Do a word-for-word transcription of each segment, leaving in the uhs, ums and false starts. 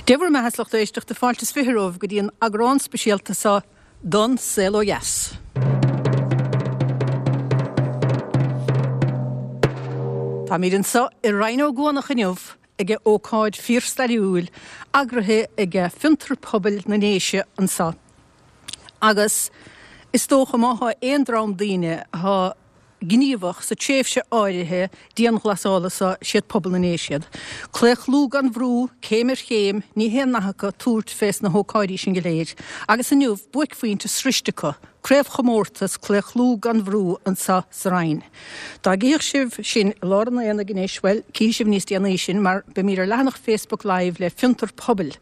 Dé bhur mbeatha a lucht éisteachta fáilte is fiche romhaibh go dtí an eagrán speisialta seo don Saol Ó Dheas. Táimid anseo i Rinn Ó gCuanach inniu ag ócáid fíorstairiúil eagraithe ag Fiontar Pobail na nDéise anseo. Agus is dócha má thá aon dream daoine atá gníomhach sa tréimhse áirithe dianghlasála seo siad pobal na nDéise iad. Claochlú gan bhrú, céim ar chéim, ní haon nath acu tabhairt fés na hócáidí sin go léir. Agus inniu, buaicphointe sroichte acu, craobhchomórtas Claochlú gan Bhrú anseo sa Rinn. Dá gcífeadh sibh sinn i lár an aonaigh anois, bhuel, cífidh sibh níos déanaí sinn, mar beimid ar leathanach Facebook Live le Fiontar Pobail,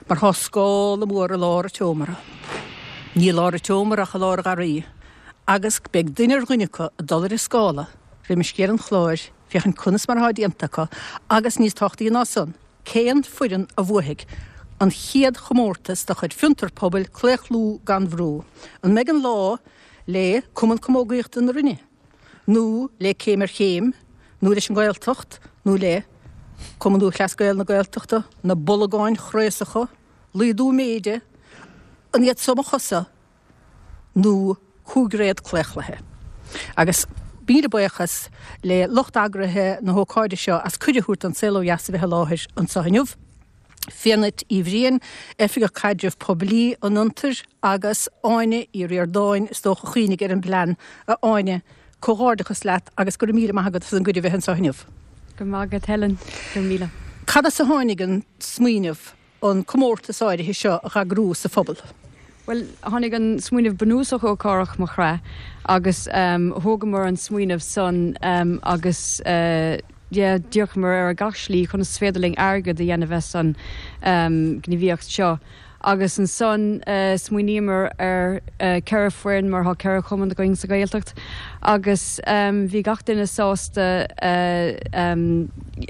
mar thá scála mór i lár an tseomra. Ní i lár an tseomra ach i lár an gharraí. Agus beidh duine ar dhuine acu ag dul ar an scála roimis deireadh an chláir féachaint conas mar atá déanta acu agus, níos tábhachtaí ná san, cén foireann a bhuafaidh an chéad chomórtas de chuid Fiontar Pobail, Claochlú gan Bhrú. An mbeidh an lá le Cumann Camógaíochta na Rinne, nó le Céim ar Chéim, nó leis an Ghaeltacht, nó le Cumann Lúthchleas Gael na Gaeltachta, na Bolagáin Chraosacha, Laghdú Méide, an iad so mo chosa? nó cúigréad claochlaithe. Agus míle buíochas le lucht eagraithe na hócáide seo as cuireadh a thabhairt don Saol Ó Dheas a bheith i láthair anseo inniu, Fiadhnait Uí Bhriain, Oifigeach Caidrimh Poiblí an Fhiontair agus Áine Uí Ríordáin, is dócha a chuimhnigh ar an bplean. A Áine, comhghairdeachas leat agus go raibh míle maith agat as an gcuireadh a bheith anseo inniu. Go raibh maith agat Helen. Go raibh míle. Cad as a tháinig an smaoineamh an comórtas áirithe seo a dh'eagrú sa phobal? Bhuel, tháinig an smaoineamh bunúsach ó Cárthach Mac Craith agus thógamar an smaoineamh san agus yeah, d'fhéachamar ar gach slí conas is féidir linn airgead a dhéanamh as an ngníomhaíocht seo. Agus ansan smaoiníomar ar ceithre foireann mar thá ceithre chumann againn sa Ghaeltacht agus bhí gach duine sásta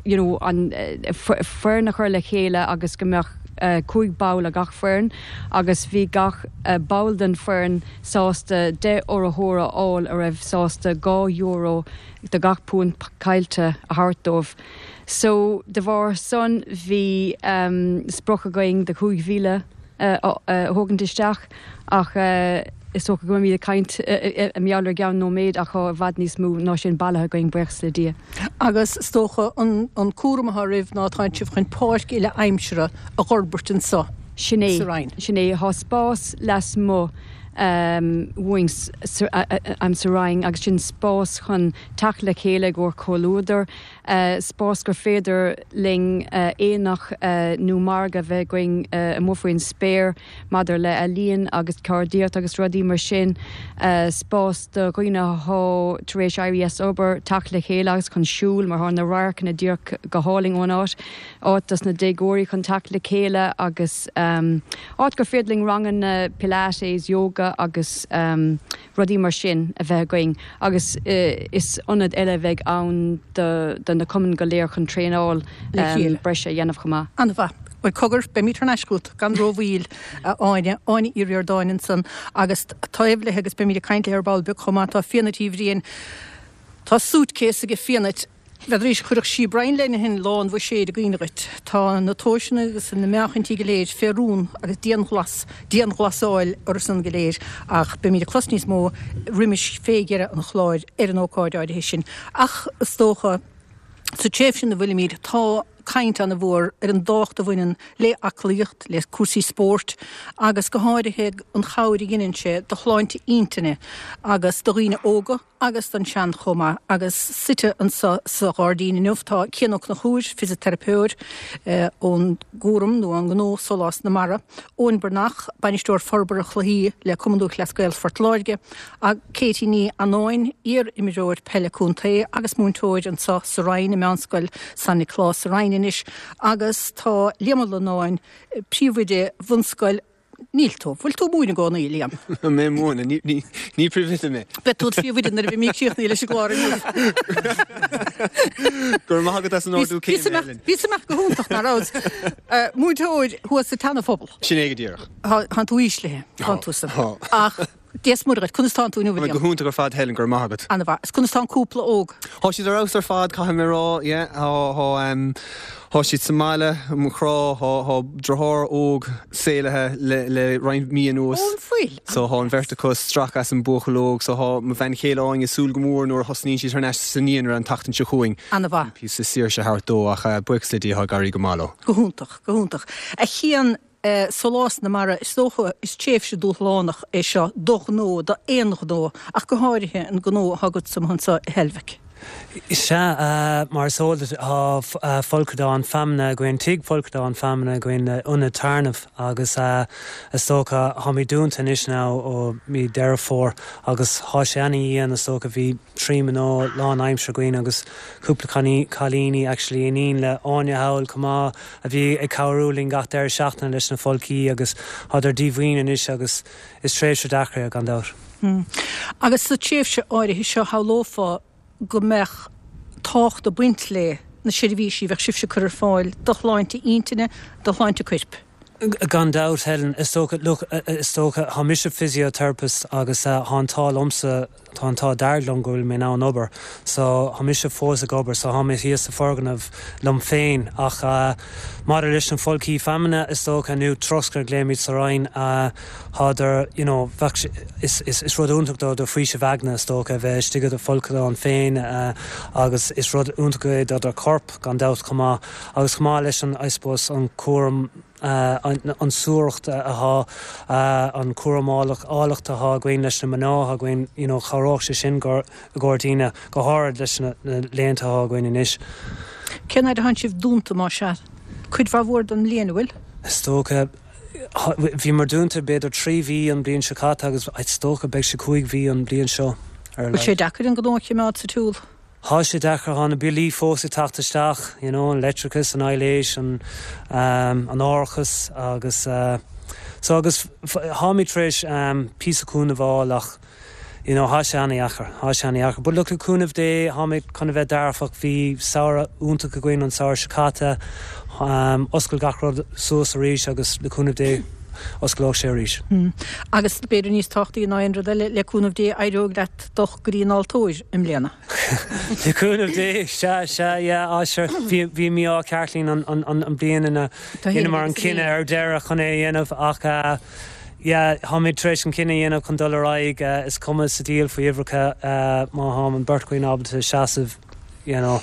you know an foireann a chur le chéile agus go mbeadh cúig ball ag gach foireann agus bhí gach ball den foireann sásta deich urraitheoir a fháil a raibh sásta dhá euro do gach punt caillte a thabhairt dóibh. So de bharr san bhí sprioc againn de chúig mhíle a thógaint isteach ach is dócha go mbeimid ag caint i ngeall ar i gceann nóiméad ach tá i bhfad níos mó ná sin bailithe againn buíochas le Dia. Agus is dócha an cúram atá oraibh ná tánn sibh chun páirc uile aimsire a dh'fhorbairt anso Sin é, sa Rinn. sin é. Tá spás lasmuigh uainn sa Rinn agus sin spás chun teacht le chéile i gcomhair comhluadar, spás gur féidir linn aonach nó margadh a bheith againn amuigh faoin spéir maidir le ealaíon agus ceardaíocht agus rudaí mar sin, spás do dhaoine athá tar éis éirí as obair teacht le chéile agus chun siúl mar thá na radharcanna díreach go hálainn ón áit, áit dos na déagóirí chun teacht le chéile agus áit gur féidir linn ranganna pilates, yoga agus rudaí mar sin a bheith againn agus is ionad eile a bheidh ann do na cumainn go léir chun traenáil breise a dhéanamh chomh maith. An-mhaith. Bhuel, cogar, beimid thar n-ais chugat gan rómhoill, a Áine. Áine Uí Ríordáin ansan agus taobh léi agus beimid ag caint léi ar ball beag chomh maith, tá Fiadhnait Uí Bhriain. Tá suitcase aige Fiadhnait. N'fheadaraís, chuirfeadh sí Brian Lenihan lán bhuiséid i gcuimhne dhuit. Tá na tomhaiseanna agus na meáchaintí go léir fé rún agus dianghlas, dianghlasáil orthu san go léir ach beimid ag clos níos mó roimis fé dheireadh an chláir ar an ócáid áirithe sin. Ach is dócha, sa tréimhse ina bhfuilimid, tá caint ana-mhór ar an dtábhacht a bhaineann le aclaíocht, le cúrsaí spóirt agus go háirithe an chabhair a dheineann sé do shláinte intinne agus do dhaoine óga, agus don sean chomh maith. Agus suite anso sa ghairdín inniu tá Cian Ó Conchúir, fisiteiripeoir ón gcúram nó ón ngnó Sólás na Mara, Eoin Breathnach, Bainisteoir Forbartha Cluichí le Cumann Lúthchleas Gael Phort Láirge, agus Katie Ní Annáin, iar-imreoir peile contae agus múinteoir anso sa Rinn i Meánscoil San Nioclás sa Rinn anois, agus tá Liam Ó Lonáin, Príomhoide Bhunscoil Níl tú. Bhfuil tú ag múineadh i gcónaí, a Liam? Tá mé ag múineadh. Ní, ní, ní príomhoide mé. Beidh tú id phríomhoide nuair a bheimid críochnaithe leis an gclár inniu. Go raibh maith agat as an ardú céime, Helen. Bhíos amach go hiontach, nach raibh? Múinteoir thuas sa tSeana-Phobal. Sin é go díreach. Tá tú íslithe, tá tú san. Tá. Ach Dia is Muire dhuit, conas tánn tú inniu, Tá mé go William? hiontach ar fad, Helen, go raibh maith agat. An-mhaith. Is conas tá an cúpla óg? Tá siad ar fheabhas ar fad, caithfidh mé rá, yeah, tá tá um, tá siad sa mbaile, mo chrá, tá tá deartháir óg saolaithe le le roinnt mí anuas. Ón fuil. So tá an bheirt acu stractha as an buachaill óg, so tá mo bhean chéile Áine ag súil go mór nuair a thosnaíonn siad thar n-ais sa naíonra an tseachtain seo chugainn. An-mhaith. Píosa saoirse thart dó ach uh, buíochas le Dia tá ag éirí go maith leo. Go hiontach, go hiontach. A Chian eh, Sólás na Mara is dócha is tréimhse dúshlánach é seo do ghnó do aon ghnó ach go háirithe an gnó atá agat anseo i Heilbhic. Sea uh, mar is eol tá uh, folcadán feamainne againn tigh folcadán feamainne againn le ionad téarnaimh agus uh, is dócha táimid dúnta anois ná ó mí Deireadh Fómhair agus tá sé an-dian is dócha bhí trí mná lánaimseartha againn agus cúpla cailíní actually iníon le Áine Hall cumá a bhí ag cabhrú linn gach deireadh seachtaine leis na folcthaí agus tádar díomhaoin anois agus is tréimhse deacair gan dabht. Hmm. Agus sa tréimhse áirithe seo shamhlófá go mbeadh tábhacht ag baint le na seirbhísí bheadh sibhse ag cur ar fáil do shláinte intinne do shláinte coirp. Gan dabht Helen is dócha look is dócha tá mise physiotherapist agus uh, tá an t-ádh liomsa tá an t-ádh dearg liom go bhfuil mé in ann obair so tá mise fós ag obair so tá mé thíos sa fhoirgneamh liom féin ach uh, maidir leis an folcthaí feamainne is dócha nó troscadh glaoimid sa Rinn uh, thádar you know, bheadh is, is, is rud iontach do do faoiseamh aigne is dócha bheith istigh i do fholcadán féin uh, agus is rud iontach é do do corp gan dabht chomh maith agus chomh maith leis an I suppose an cúram Uh, an, an suairtheacht atá uh, an cúram áilleacht atá againn leis na mná againn you know, chabhródh sé sin go go daoine go háirithe leis na, na laethanta atá againn anois. Cén fhad atá sibh dúnta má sea? Cuid mhór den bhliain bhfuil? Is dócha bhí mar dúnta b'fhéidir trí mhí an bliain seo caite agus is dócha beidh sé cúig mhí an bliain seo. Bhfuil sé deacair an gnó a choimeád sa tsiúl? Tá sé deacair tá na billí fós ag teacht isteach, you know, an leictreachas an aibhléis an um, an árachas agus uh, so agus táimid tar éis um, píosa cúnamh a fháil ach you know, tá sé an-deacair, tá sé an-deacair. But look le cúnamh Dé táimid chun a bheith dearfach bhí samhradh iontach againn an samhradh seo caite um, oscail gach rud suas arís agus le cúnamh Dé osclóidh sé arís. Hmm. Agus b'fhéidir níos tábhachtaí ná aon rud eile le cúnamh Dé éireoidh leat dul go dtí an altóir i mbliana. Le cúnamh Dé sea sea yeah, sure bhí bhí mí á ceartlín an, an, an, an blian ina ina mar an cinneadh ar deireadh chun é dhéanamh ach uh, yeah, táimid tar éis an cinneadh dhéanamh chun dul ar aghaidh uh, is cuma sa diabhal faoi uimhreacha uh, má tá an bheirt againn ábalta seasamh you know,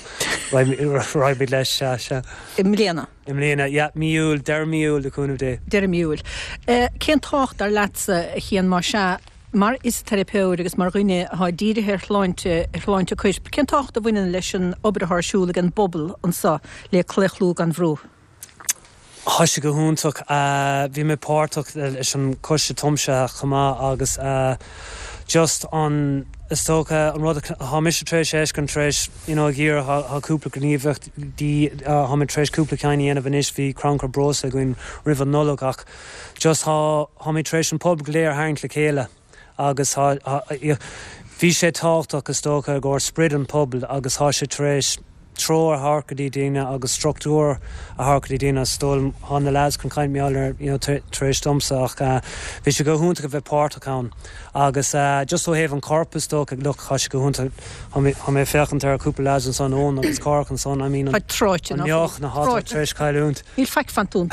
raghaimid leis sea sea. I mbliana. I mbliana, yeah, mí Iúil, deireadh mí Iúil le cúnamh Dé. Deireadh mí Iúil. Uh, cén tábhacht dar leatsa a Chian má sea mar fhisiteiripeoir agus mar dhuine atá dírithe ar shláinte ar shláinte coirp. Cén tábhacht a bhaineann leis an obair atá ar siúl ag an bpobal anseo le Claochlú gan Bhrú. Tá sé go hiontach bhí mé páirteach leis an choiste tiomsaithe chomh maith agus uh, just an is dócha an rud tá mise tar éis éis an tar éis you know, ggéar tá cúpla gníomhaíocht dí tá tar éis cúpla ceann a dhéanamh anois bhí crannchur breosla againn roimh an Nollaig ach just tá tá mé tar éis an pobal go léir a tharraingt le chéile agus bhí sé tábhachtach is dócha gur sprid an pobal agus tá sé tar éis treoir a thabhairt go dtí daoine agus struchtúr a thabhairt go dtí daoine stól há na lads chun caint mear tar éis domsa ach bhí sé go hiontach a bheith páirteach ann agus uh, just ó thaobh an corp is dócha look tá sé go hiontach tá mé féachaint ar cúpla lads ansan ón agus Cárthach ansan I mean tráite neoch na há tar éis cailliúint. Níl faic fantún.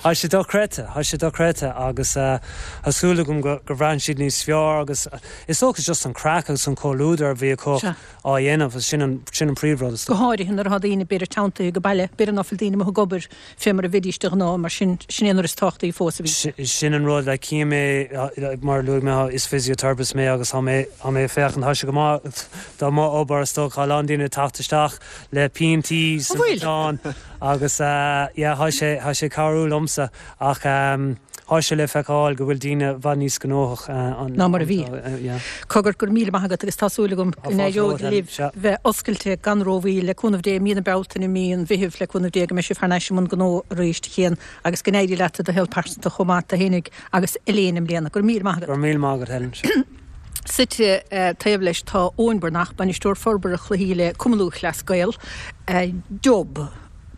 Tá sé dochreidte, tá sé dochreidte agus uh, tá súil agam go go bhfaighidh siad níos fearr agus is dócha just an craic agus an comhluadar a bhí acu á dhéanamh sin an sin an príomhrud. Go háirithe nuair atá daoine b'fhéidir teanntaithe go baile, b'fhéidir nach bhfuil daoine amuigh ag obair fé mar a bhídís de ghnáth mar sin sin é an rud is tábhachtaí fós a bhí. Sin an rud le cí mé mar luaigh mé is physiotherapist mé agus tá mé tá mé féachaint tá sé go maith dá má obair is dócha lán daoine teacht isteach le piantaí bhfuil? agus yeah, tá sé tá sé cabhrú liomsa ach um, tá sé le feiceáil go bhfuil daoine i bhfad níos gnóthach uh, ná mar a bhí. Uh, Cogar go raibh míle maith agat agus tá súil agam go n-éireoidh libh bheith oscailte gan rómhoill le cúnamh Dé mí na Bealtaine mí an Mheithimh le cúnamh Dé go mbeidh sibh thar n-ais i mbun gnó arís a Chian agus go n-éirí leat do shaol pearsanta chomh maith tú fhéinig agus Elaine i mbliana. Go raibh míle maith agat. Go raibh míle maith agat Helen. Suite uh, taobh leis tá Eoin Breathnach bainisteoir forbartha cluichí le Cumann Lúthchleas Gael uh, Job.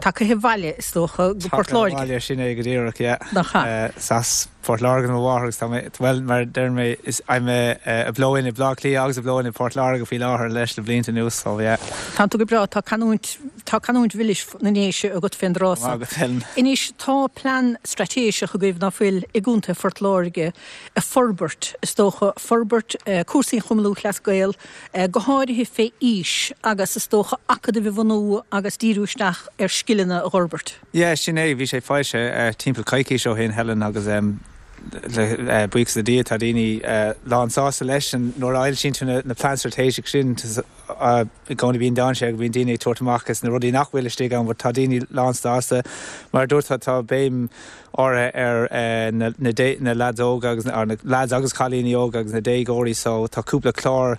Tagtha abhaile is dócha go Port Láirge. Bhaile sin é go díreach Nach Sas Port Láirge mo mháthair agus tá mé well mar deir mé is I'm a, a blow-in i Bleá Cliath agus a blow-in i Port Láirge faoi láthair leis le blianta anuas so yeah. Tá tú go breá tá canúint tá canúint mhilis na nDéise agat fén dtráth san. Agus Helen. Anois tá plean straitéiseach agaibh ná fuil i gContae Phort Láirge a forbairt is dócha forbairt eh, cúrsaí Chumann Lúthchleas Gael eh, go háirithe fé aois agus is dócha acadaimh a bhunú agus díriú isteach ar scileanna a fhorbairt. Yeah, sin é bhí sé foilsithe uh, timpeall coicís ó shin Helen agus um, le uh, buíochas le Dia tá daoine uh, lán sásta leis an nuair a fhoilsíonn tú na, na plean straitéiseach sin uh, i gcónaí bíonn dainséar go bíonn daoine ag tabhairt amach is na rudaí nach bhfuil istigh ann, but tá daoine lán sásta mar dúirt tá béim áirithe ar uh, na, na, dé, na lads óga agus na, na lads agus cailíní óga agus na déagóirí so tá cúpla clár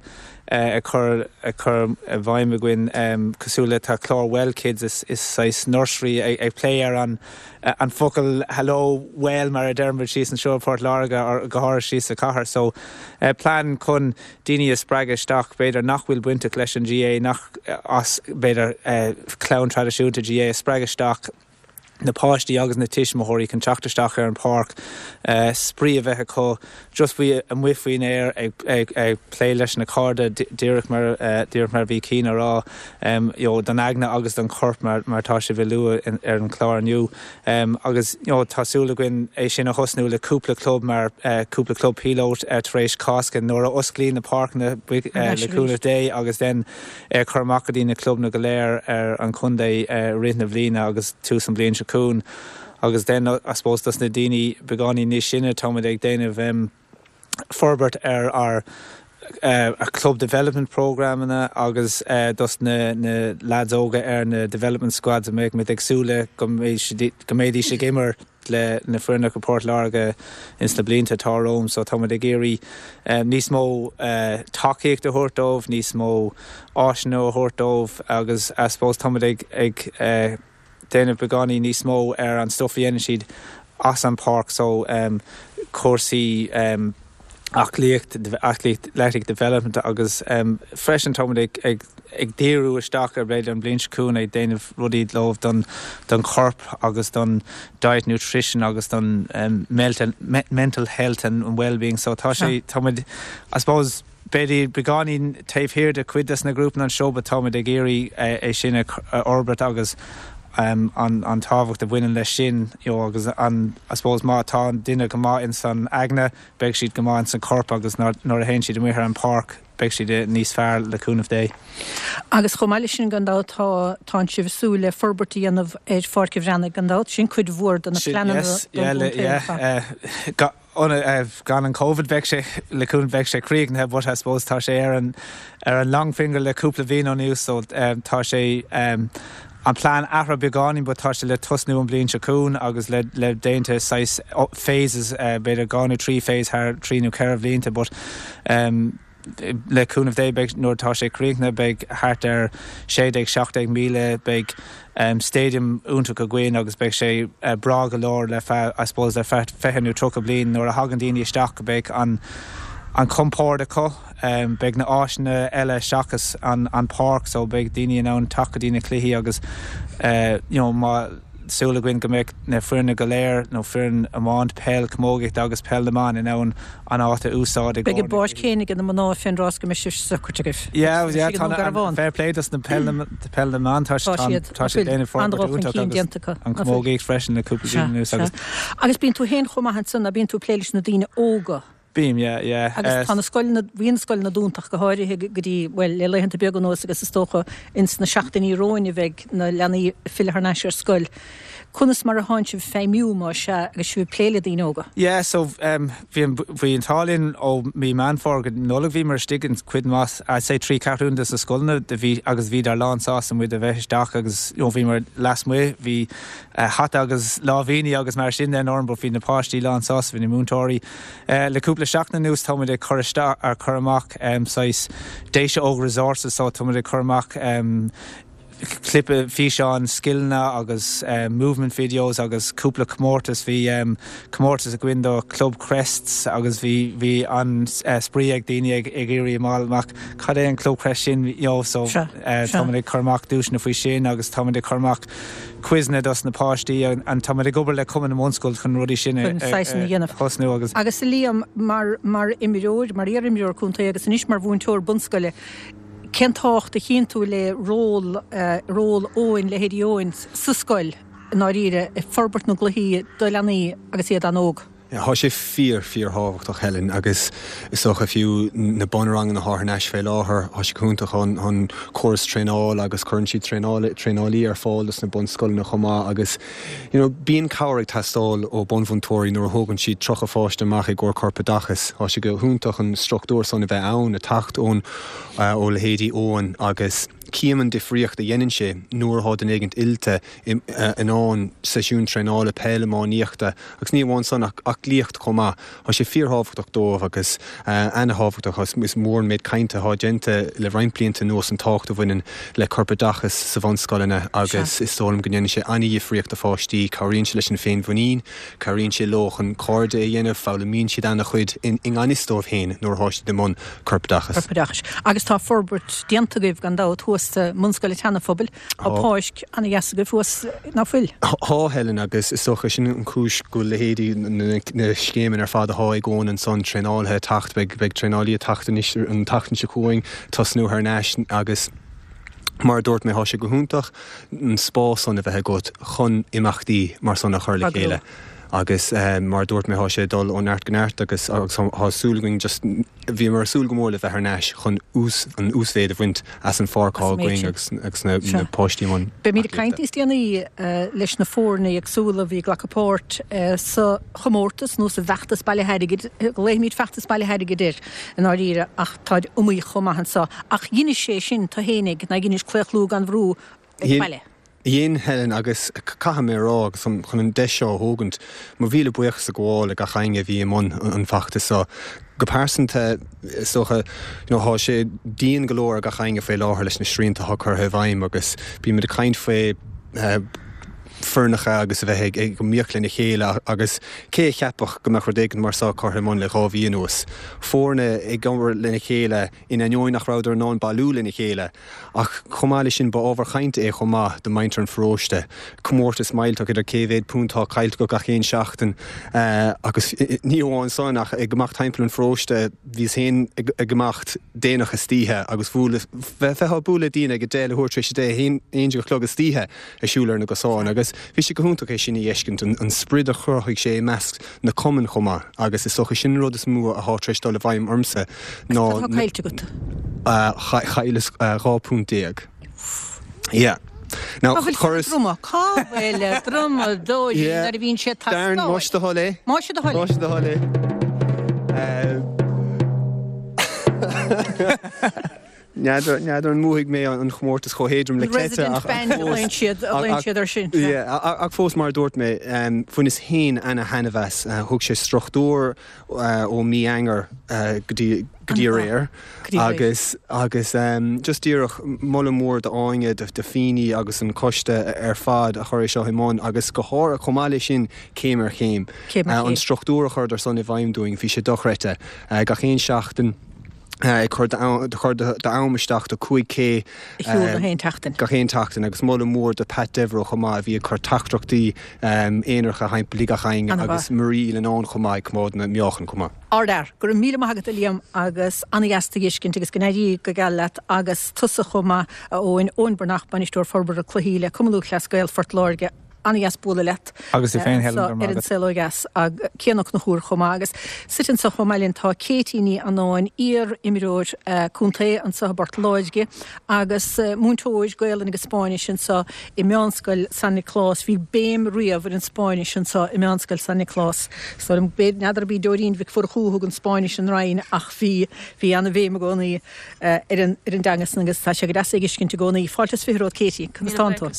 uh, ag cur ag cur i bhfeidhm againn um, cosúil le tá clár Well Kids is, is saghas nursery ag, ag plé ar an uh, an focal hello well mar a deirimid síos anseo Port Láirge ar go háirithe síos sa chathair so uh, plean chun daoine a spreagadh isteach b'fhéidir nach bhfuil bainteach leis an GAA nach as b'fhéidir uh, clann traidisiúnta GAA a spreagadh isteach na páistí agus na tuismitheoirí chun teacht isteach ar an pháirc uh, spraoi a bheith acu just faoi amuigh faoin aer ag, ag, ag plé leis na cairde díreach mar uh, díreach mar bhí cín rá um, you know, don aigne agus don chorp mar, mar tá sé bhí lua ar an chlár inniu um, agus you know, tá súil againn é sin a thosnú le cúpla club mar uh, cúpla club pilot uh, tar éis Cásca nuair a osclaíonn na páirceanna uh, le cúnamh Dé agus den uh, chur amach go dtí na clubanna go léir ar an chontae uh, rith na bliana agus tús an bhliain seo chugainn agus den I suppose dos na daoine beagáinín níos sine táimid ag déanamh um, forbairt ar ar uh, a club development programanna agus uh, dos na, na lads óga ar na development squads a mbeidh muid ag súil go go mbeidís ag imirt le na foirne go Port Láirge ins na blianta atá romhainn so táimid ag iarraidh um, níos mó uh, tacaíocht a thabhairt dóibh níos mó áiseanna a thabhairt dóibh agus I suppose táimid ag ag uh, déanamh beagáinín níos mó ar an stuff a dhéanann siad as an páirc so um, cúrsaí um, aclaíocht athletic development agus um, freisin táimid ag, ag, ag díriú isteach ar b'fhéidir an bhliain seo chugainn ag déanamh rudaí leo don don chorp agus don diet nutrition agus don um, mental, me, mental health and, and well-being so tá sé táimid I suppose b'fhéidir beagáinín taobh thiar de cuid des na grúpaí anseo but táimid ag iarraidh é sin a fhorbairt agus um, an, an tábhacht a bhaineann leis sin you know, agus an I suppose má tá an duine go maith in san aigne beidh siad go maith in san corp agus nuair a théann siad amuigh ar an páirc beidh siad níos fearr le cúnamh Dé. Agus chomh maith leis sin gan dabht tá tá sibh ag súil le forbairt a dhéanamh ar Pháirc an Bhreathnaigh gan dabht sin cuid mhór de na pleananna gan an COVID bheadh sé le cúnamh bheadh sé críochnaithe but I suppose tá sé ar an ar an long finger le cúpla bliain anuas so um, tá sé um, an plean athraithe beagáinín but tá sé le tosnú an bhliain seo chugainn agus le le déanta saghas phases uh, b'fhéidir dhá nó trí phase thar trí nó ceithre blianta but um, le cúnamh Dé beidh nuair tá sé críochnaithe beidh thart ar sé déag seacht déag míle beidh um, stadium iontach againn agus beidh sé uh, breá go leor le fe I suppose le fiche nó tríocha bliain nuair a thagann daoine isteach go beidh an an compord acu um, beidh na áiseanna eile seachas an, an páirc so beidh daoine in ann teacht go dtí na cluichí agus uh, you know, má súil againn go mbeidh na foirne go léir nó foireann iomáint peil camógaíocht agus peil na mban in ann an áit a úsáid Beidh an pháirc chéanna ag na mná fén dtráth go mbeidh sé socraithe agaibh. Yeah, yeah, tá fair play dos na peil peil na mban tá tá sé déanamh forbairt an camógaíocht freisin na cúpla bliain anuas agus Agus bíonn tú féin chomh maith ansan a bíonn tú plé leis na daoine óga. Bím, yeah, yeah. Agus tá na scoileanna bhí na scoileanna dúnta go háirithe go dtí well le laethanta beaga anuas agus is dócha ins na seachtainí romhainn a bheidh na leanaí filleadh thar n-ais ar scoil. Conas mar a tánn sibh feidhmiú má sea agus sibh plé le daoine óga. Yeah, so um, bhí bhí an t-ádh linn ó mí Meán Fómhair go Nollaig bhí mar istigh in cuid mhaith I'd say trí ceathrún de na scoileanna de bhí agus bhí dar lán sásta muid a bheith isteach agus you know, bhí mar lasmuigh bhí uh, hata agus lámhainní agus mar sin den orm, bhí na páistí lán sásta bhí na múinteoirí. Uh, le cúpla seachtain anuas táimid ag cur isteach ar chur amach um, saghas Déise Óg resources so táimid ag cur amach um, clipe físeán scileanna agus um, movement videos agus cúpla comórtas bhí um, comórtas againn do Club Crests agus bhí bhí an uh, spraoi ag daoine ag ag iarraidh amach cad é an Club Crest sin you know, so uh, tá ag cur amach duaiseanna faoi sin agus tá ag cur amach quizeanna dos na páistí an tá ag obair le Cumann na mBunscol chun rudaí sin thosnú agus. Agus Liam mar mar imreoir mar iar-imreoir contae agus anois mar mhúinteoir bunscoile. Cén tábhacht a chíonn tú le ról uh, ról Eoin leithéidí Eoin sa scoil i ndáiríre i forbairt na gcluichí do leanaí agus iad an-óg. Tá sé fíor fíorthábhachtach Helen agus is dócha fiú na bunranganna atá thar n-ais fé láthair tá sé iontach an an córas traenála agus cuireann siad traenála traenálaí ar fáil dos na bunscoileanna chomh maith agus you know, bíonn cabhair ag teastáil ó bunmhúinteoirí nuair a thógann siad tríocha pháiste amach i gcomhair corpoideachas. Tá sé go hiontach an struchtúr san a bheith ann ag teacht ón uh, ó leithéidí Eoin agus cím an difríocht a dhéanann sé nuair atá duine éigin oilte in ann seisiún traenála peile iománaíochta agus ní amháin san ach aclaíocht chomh maith. Tá sé fíorthábhachtach dóibh agus an-thábhachtach is mór an méid cainte atá déanta le roinnt blianta anuas an tábhacht a bhaineann le corpoideachas sa bhunscoileanna agus is dóigh liom go ndéanann sé an-difríocht do pháistí, cabhraíonn sé leis an féinmhuinín, cabhraíonn sé leo chun cairde a dhéanamh, foghlaimíonn siad an-chuid i ngan fhios dóibh féin nuair atá siad i mbun corpoideachas. Corpoideachais. Agus tá forbairt déanta agaibh gan dabht thuas sa mBunscoil an tSeana-Phobail. Tá páirc an-dheas agaibh thuas ná fuil? Tá Helen agus is dócha sin an chúis go bhfuil leithéidí na scéimeanna ar fad atá ag Eoin ansan traenálaithe ag teacht, beidh beidh traenálaí ag teacht anois an tseachtain seo chugainn, tosnú thar n-ais agus mar a dúirt mé tá sé go hiontach an spás san a bheith agat chun imeachtaí mar san a chur le chéile. Agus mar a dúirt mé tá sé ag dul ó neart go neart agus agus tá súil againn just bhíomar ag súil go mór le bheith thar n-ais chun ús an uasmhéid a bhaint as an pháirc atá againn agus agus na na páistí i mbun Beimid ag caint níos déanaí leis na foirne éagsúla a bhí ag glacadh páirt sa chomórtas nó sa bhfeachtas bailithe airgid, glaofaimid feachtas bailithe airgid air i ndáiríre ach táid iomaíoch chomh maith anso. Ach dheinis sé sin tú fhéinig, ná dheinis claochlú gan bhrú ag baile. Dhein, Helen, agus caithfidh mé a rá, agus chun an deis seo a thógaint, mo mhíle buíochas a ghabháil le gach éinne a bhí i mbun an fheachtais seo. Go pearsanta, is dócha, you know, tá sé dian go leor ar gach éinne faoi láthair leis na srianta atá curtha i bhfeidhm agus bímid ag caint faoi foirneacha agus a bheith ag iomaíocht lena chéile agus cé a cheapfadh go mbeadh rud éigin mar seo curtha i mbun le dhá mhí anuas. Foirne ag obair lena chéile in ainneoin nach rabhadar in ann bailiú lena chéile. Ach chomh maith leis sin ba ábhar cainte é chomh maith do mhuintir an pharóiste. Comórtas millteach idir cé mhéad punt atá caillte acu gach aon seachtain agus ní amháin san ach ag imeacht timpeall an pharóiste bhíos féin ag imeacht déanach istoíche agus bheifeá ag bualadh le daoine ag a deich leathuair tar éis a deich, a haon déag a chlog istoíche ag siúl ar na gcosáin agus bhí sé go hiontach é sin a fheiscint, an sprid a chruthaigh sé i measc na cumann chomh maith agus is dócha sin an rud is mó atá tar éis dul i bhfeidhm ormsa ná Tá caillte agat. Chailleas dhá punt déag. Yeah. Now, Cá bhfuil chuireas druma? Cá bhfuil drumadóirí Yeah. nuair a bhíonn sé Darren, tastáil? más do thoil é. Más do thoil é. Más do thoil é. Eh, N'fheadar n'fheadar an mbuafaidh mé an chomórtas chomh héadrom le Cleite Resident ach ach band a fós ghlaonn siad a ach ghlaonn ach siad air sin. Sea. yeah, ach ach fós mar a dúirt mé, um, bhaineas féin ana-thaitneamh as. Uh, thug sé struchtúr uh, ó mí Eanáir uh, go dtí go dtí An-mhaith. aréir Go dtí aréir. agus agus um, just díreach moladh mór d'Áine de, de Fíní agus an coiste ar fad a chuir é seo i mbun agus go háirithe chomh maith leis sin céim ar chéim. Céim ar Uh, an chéim. struchtúr a chuireadar san i bhfeidhm dúinn bhí sé dochreidte. Uh, gach aon seachtain ag cur chur d'am isteach do cúig K Shiúl gach aon tseachtain. Gach aon tseachtain agus moladh mór do Pat Devereux chomh maith a bhí ag cur teachtaireachtaí aonaracha thimpeall gach éinne agus Marie Lennon chomh maith ag coimeád na meáchan chomh maith. Ardfhear, go raibh míle maith agat a Liam agus an-dheas tú a fheiscint agus go n-éirí go geal leat agus tusa chomh maith a Eoin, Eoin Breathnach, Bainisteoir Forbartha Cluichí le Cumann Lúthchleas Gael Phort Láirge. An-dheas bualadh leat. Agus tú féin, Helen, Ar go raibh maith an agat. Saol Ó Dheas ag Cian Ó Conchúir chomh maith agus suite anseo chomh maith linn tá Katie Ní Annáin, iar-imreoir contae anseo i bPort Láirge agus múinteoir Gaelainn agus Spáinnis anseo i Meánscoil San Nioclás. Bhí béim riamh ar an Spáinnis anseo i Meánscoil San Nioclás. So n'fheadar ab í Dóirín Mhic Mhurchú a thug an Spáinnis an Rinn ach bhí bhí ana-bhéim i gcónaí ar an ar an dteanga san agus tá sé go deas é a fheiscint i gcónaí. Fáilte is fiche romhat Katie, conas tánn tú?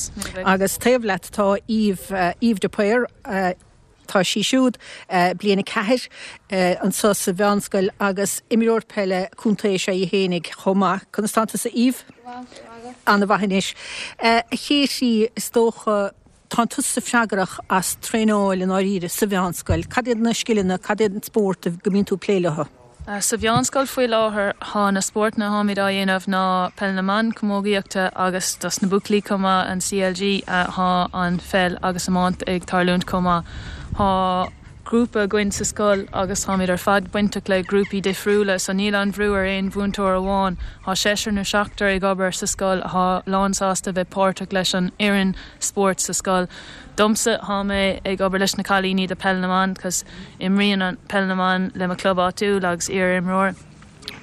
Agus taobh leat tá Eve, uh, Eve de Paor, uh, Tá sí siúd bliain a ceathair anseo sa mheánscoil agus imreoir peile contae is ea í fhéinig chomh maith. Conas tánn tusa Eve? An-mhaith anois. A Katie, is dócha, tánn tusa freagrach as traenáil i ndáiríre sa mheánscoil. Cad iad na scileanna, cad iad an spórt go mbíonn tú ag plé leo? Sa mheánscoil faoi láthair tá na spórtanna atáimid á dhéanamh ná peil na mban, camógaíochta agus dos na buachaillí chomh maith an CLG tá an pheil agus iomáint ag tarlúint chomh maith. Tá grúpa againn sa scoil agus táimid ar fad bainteach le grúpaí difriúla so níl an bhrú ar aon mhúinteoir amháin. Tá seisear nó seachtar ag obair sa scoil atá lánsásta bheith páirteach leis an fhoireann spóirt sa scoil. Domsa tá mé ag obair leis na cailíní de peil na mban cos imríonn an peil na mban le mo club áitiúil agus iar-imreoir.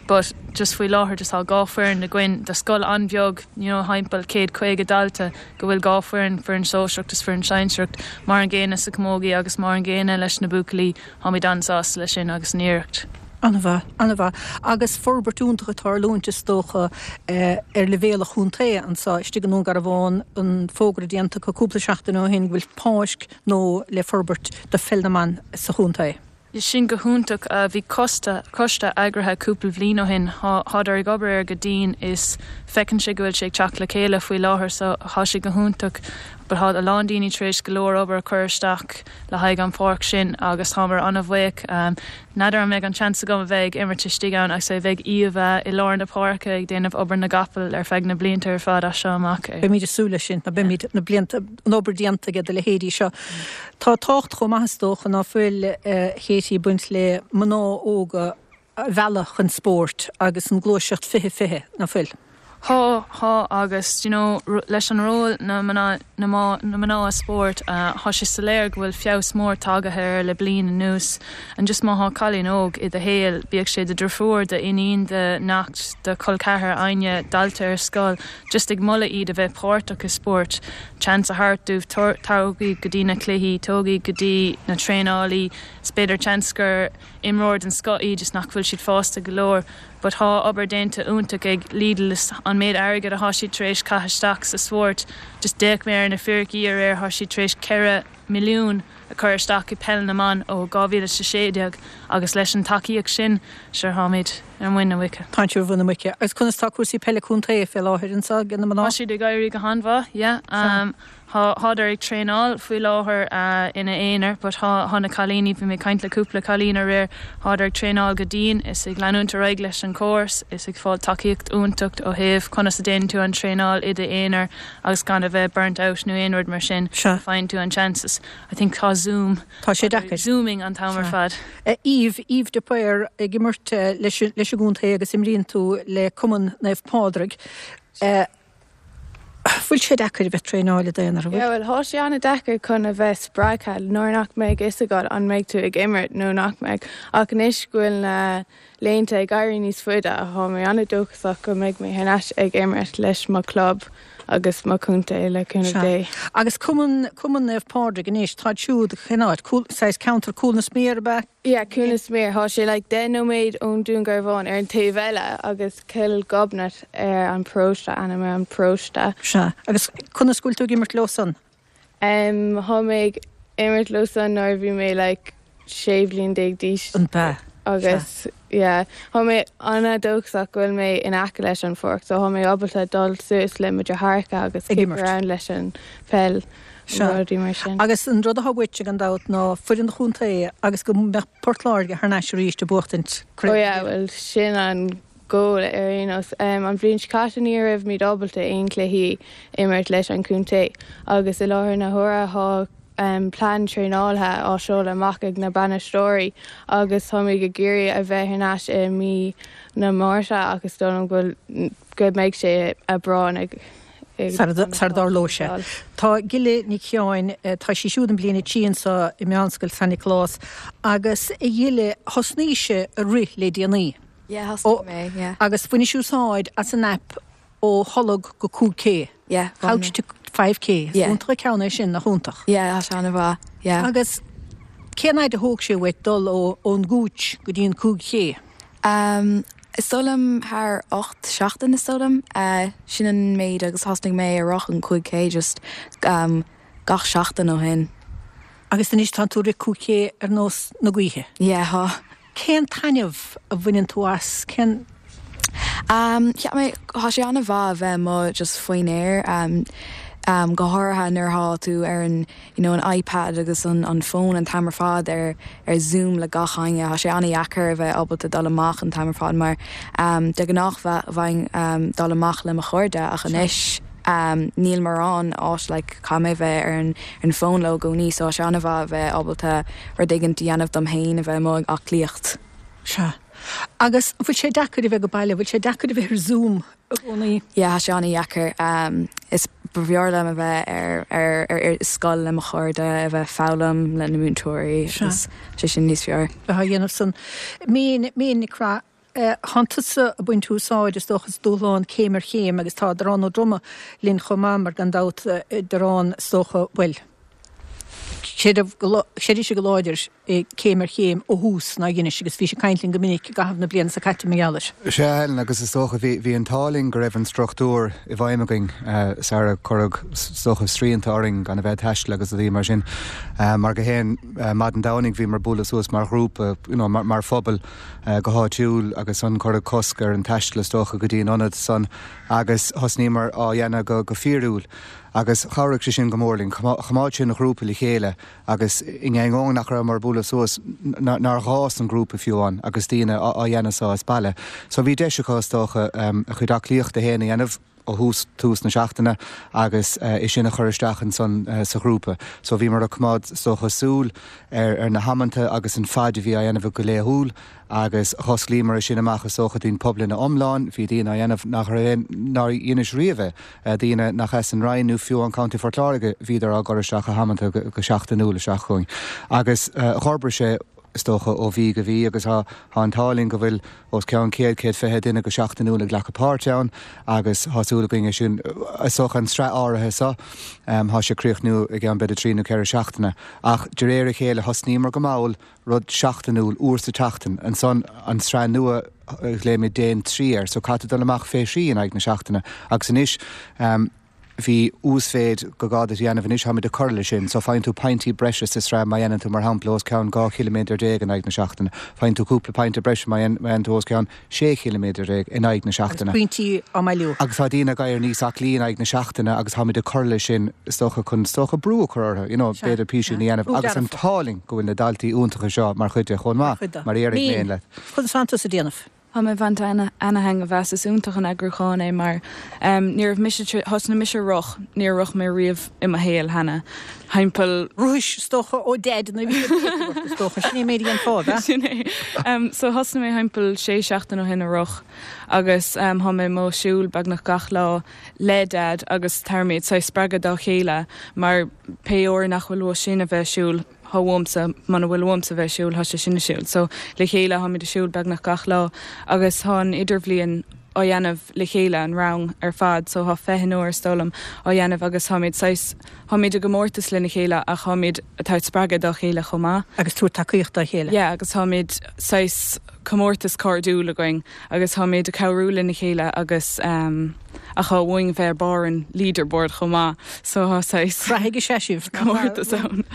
But just faoi láthair just tá dhá foireann againn de scoil an-bheag you know, timpeall céad caoga dalta go bhfuil dhá foireann foireann sóisearach is foireann sinsearach mar an gcéanna sa chamógaí agus mar an gcéanna leis na buachaillí táimid an-sásta leis sin agus an iarracht. An-mhaith, an-mhaith. Agus forbairt iontach ag tarlúint is dócha ar leibhéal an chontae anseo istigh i nDún Garbhán, an fógra déanta acu cúpla seachtain ó shin go bhfuil páirc nua le forbairt do pheil na mban sa chontae. Sin go hiontach. Bhí coiste coiste eagraithe cúpla bhliain ó shin. Thádar ag obair air go dian is feiceann sé go bhfuil sé ag teacht le chéile faoi láthair so thá sé go hiontach. But thá a lán daoine tar éis go leor obair a chur isteach le haghaidh an pháirc sin agus táimid an-bhuíoch. N'fheadar an mbeidh an seans agam a bheith ag imirt istigh ann agus é bheidh Eva i lár na páirce ag déanamh obair na gcapall ar feadh na blianta ar fad as seo amach. Beimid ag súil leis sin, beimid na blianta an obair déanta aige do leithéidí seo. Tá tábhacht chomh maith is dócha ná fuil Katie ag baint le mná óga a mhealladh chun spóirt agus an gluaiseacht fiche fiche, ná fuil? Thá, thá agus you know, leis an ról na mná na mná i spórt thá sé soiléir go bhfuil feabhas mór tagaithe air le bliain anuas. And just má thá cailín óg i do shaol, bíodh sé do deirfiúr, do iníon, do neacht, do chol ceathar, éinne, dalta ar scoil, just ag moladh iad a bheith páirteach i spórt, chance a thabhairt dóibh tóg iad go dtí na cluichí, tóg iad go dtí na traenálaí, is b'fhéidir chance gur imreoir den scoth iad just nach bhfuil siad fásta go leor. But thá obair déanta iontach ag Lidl an méid airgead athá siad tar éis caitheamh isteach sa spórt, just d'fhéach mé ar na fíricí aréir thá siad tar éis ceithre milliún a chur isteach i peil na mban ó dhá mhíle is a sé déag agus leis an tacaíocht sin sure tháimid ar muin na muice. Tá sibh ar mhuin na muice. Agus conas tá cúrsaí peile contae fé láthair anseo ag na mná? Tá siad ag éirí go han-mhaith, yeah. Um, Thádar ag traenáil faoi láthair ina aonar, but thá na cailíní, bhí mé ag caint le cúpla cailín aréir, thádar ag traenáil go dian, is ag leanúint ar aghaidh leis an córas, is ag fáil tacaíocht iontach ó thaobh conas a déanann tú an traenáil i d'aonar agus gan a bheith burnt out nó aon rud mar sin. Faigheann tú an chances. I think tá Zoom. Tá sé deacair. Zooming an t-am ar fad. Eve, Eve de Paor ag imirt leis leis an gcontae agus imríonn tú le Cumann Naomh Pádraig. Bhfuil sé deacair a bheith traenáil i d'aonar, an bhfuil? Yeah, well, thá sé an-deacair chun a bheith spreagtha nuair nach mbeidh fhios agat an mbeidh tú ag imirt nó nach mbeidh. Ach anois go bhfuil na laethanta ag éirí níos faide, thá mé an-dóchasach go mbeidh mé thar n-ais ag imirt leis mo club agus mo chontae le cúnamh Dé. Agus Cumann, Cumann Naomh Pádraig anois, táid siúd cén áit? Cúl, saghas ceantar Cúil na Sméar ab ea? Yeah, Cúil na Sméar. Thá sé like deich nóiméad ón Dún Garbhán ar an taobh eile agus Cill Ghobnait ar an paróiste, ainm ar an paróiste. Sea. Agus conas go bhfuil tú ag imirt leo san? Um, thá mé ag imirt leo san nuair a bhí mé like sé bhliain déag d'aois. An b'ea? Agus yeah, thá mé an-dóchasach go bhfuil mé in aice leis an pháirc, so thá mé ábalta dul suas le mo dheartháireacha agus Ag kick imirt. around leis an peil Sea. rudaí mar sin. Agus an rud atá uait gan dabht ná foireann an chontae agus go mbeadh Port Láirge thar n-ais arís ag buachtaint Oh yeah, well sin an goal ar aon nós. Um, an bhliain seo caite ní raibh muid ábalta aon chluichí imirt leis an chontae agus i láthair na huaire thá um, plean traenála á seoladh amach ag na bainisteoirí agus táimid ag iarraidh a bheith thar n-ais i mí na Márta agus dóigh liom go bhfuil go mbeidh sé Aibreán ag Sar dtarlóidh sé. Tá Gille Nic Sheáin, tá sí siúd i mbliain a trí anseo i Meánscoil San Nioclás agus a Ghille thosnaís ag rith le déanaí. Yeah, thosnaigh mé, yeah. Agus bhainis úsáid as an app ó tholg go cúig K. Yeah, Couch to five K. Yeah. Iontach an ceann é sin nach iontach. Yeah, tá sé an-mhaith, yeah. Agus cén fhad a thóg sé uait dul ó ón gcúits go dtí an cúig K? Um, is dóigh liom thar ocht seachtain is dóigh liom, uh, sin an méid agus thosnaigh mé ag rith an cúig K just um, gach seachtain ó shin. Agus anois tá tú ag rith cúig K ar nós na gaoithe. Yeah, tá. Cén taitneamh a bhaineann tú as? Cén Um, cheap mé tá sé an-mhaith a bheith amuigh just faoin aer um, um, go háirithe nuair atá tú ar an you know, an iPad agus an, an phone an t-am ar fad ar ar Zoom le gach éinne Tá sé an-deacair a bheith ábalta dul amach an t-am ar fad mar um, de ghnáth bheinn um, dul amach le mo chairde ach anois um, níl mórán áit like, caithfidh mé bheith ar an, an phone le i gcónaí so sé an-mhaith a bheith ábalta rud éigin a dhéanamh dom féin a bheith amuigh ag aclaíocht. Sea. Agus bhfuil sé deacair a bheith go baile, bhfuil sé deacair a bheith ar Zoom i gcónaí? Yeah, sé an-deacair um, is b'fhearr liom a bheith ar, ar, ar, ar scoil le mo chairde a bheith foghlaim le na múinteoirí Sea. sé sin níos fearr. Bheith á dhéanamh san. Mín Mín Nic Craith Tá tusa ag baint úsáid is dócha as dúshlán céim ar chéim agus tá Darán Ó Droma linn chomh maith mar gan dabht Darán is dócha bhuel. Chreid sé go láidir céim ar chéim ó thús ná dheinis agus bhí sé ag caint linn go minic i gcaitheamh na bliana seo caite mar gheall air. Sea Helen agus is dócha bhí an t-ádh linn go raibh an struchtúr i bhfeidhm againn sara cuireadh is dócha srianta orainn gan a bheith taisteal agus a bhí mar sin. Mar go haon maidin Domhnaigh bhíomar ag bualadh suas mar ghrúpa you know, mar, mar phobal go háitiúil agus an cuireadh cosc ar an taisteal is dócha go dtí an ionad san agus thosnaíomar á dhéanamh go, go fíorúil. Agus chabhraigh sé sin go mór linn, choimeád sin an grúpa le chéile agus in ainneoin nach rabhamar ag bualadh suas nár ghá an grúpa fiú amháin agus daoine á dhéanamh seo as baile. So bhí deis acu is dócha a chuid aclaíochta féin a dhéanamh ó thús tús na seachtaine agus é sin a chur isteach ansan sa ghrúpa. So bhíomar ag coimeád is dócha súil ar, ar na hamanta agus an fad a bhí á dhéanamh go laethúil agus dh'osclaíomar é sin amach is dócha don phobal ina iomlán, bhí daoine á dhéanamh nach nár dheinis riamh é, daoine nach as an Rinn nó fiú an County Phort Láirge bhíodar á gcur isteach a hamanta go, go seachtainiúil isteach chugainn. Agus uh, d'fhorbair sé is dócha ó mhí go mí agus tá an t-ádh linn go bhfuil os cionn céad céad fiche duine go seachtainiúil ag glacadh páirt ann agus tá súil againn sin is dócha an tsraith áirithe seo um, tá sé críochnú i gceann b'fhéidir trí nó ceithre seachtaine ach de réir a chéile thosnaíomar go mall rud seachtainiúil uair sa tseachtain ansan an tsraith nua glaoimid déan trí air so caithfidh dul amach fé thrí in aghaidh na seachtaine agus anois um, bhí uasmhéid gur gá duit a dhéanamh anois táimid ag cur leis sin, so faigheann tú pointí breise sa tsraith má dhéanann tú mar shampla os cionn dhá chiliméadar déag in aghaidh na seachtaine. Faigheann tú cúpla pointe breise má dhéanann tú os cionn sé chiliméadar déag in aghaidh na seachtaine. Pointí á mbailiú. Agus tá daoine ag éirí níos aclaí in aghaidh na seachtaine agus táimid ag cur leis sin is dócha chun is dócha brú a chur orthu, you know, b'fhéidir píosa a dhéanamh agus an t-ádh linn go bhfuil na daltaí iontacha seo mar chuid de chomh maith mar éirigh mé leat. Chun santas a déanamh. Tá mé bhaint ana-thaitneamh as is iontach an eagrúchán é mar um, ní raibh mise thosnaigh mise rith níor rith mé riamh i mo shaol cheana. Timpeall Rúis stocha ó dead na stocha sin mé an fád Sin é. Um, so thosnaigh mé timpeall sé seachtain ó shin ag rith agus um, tá mé ag siúl beagnach gach lá le dad agus táimid ag spreagadh dá chéile mar pé uair nach bhfuil uaidh sin a bheith siúl tá uaimse muna bhfuil uaimse bheith siúl tá sé sin siúl. So le chéile táimid ag siúl beagnach gach lá agus tá an idirbhliain á dhéanamh le chéile an rang ar fad, so tá fiche onóir stolm á dhéanamh agus táimid táimid i gcomórtas lena chéile ach táimid atá spreagadh dá chéile chomh maith. Agus tú tacaíocht dá chéile. Yeah, agus táimid saghas comórtas cairdiúil againn agus táimid ag cabhrú lena chéile agus um, ach tá uainn bheith barr an leaderboard chomh maith so tá saghas Raithige sé sibh comórtas ann.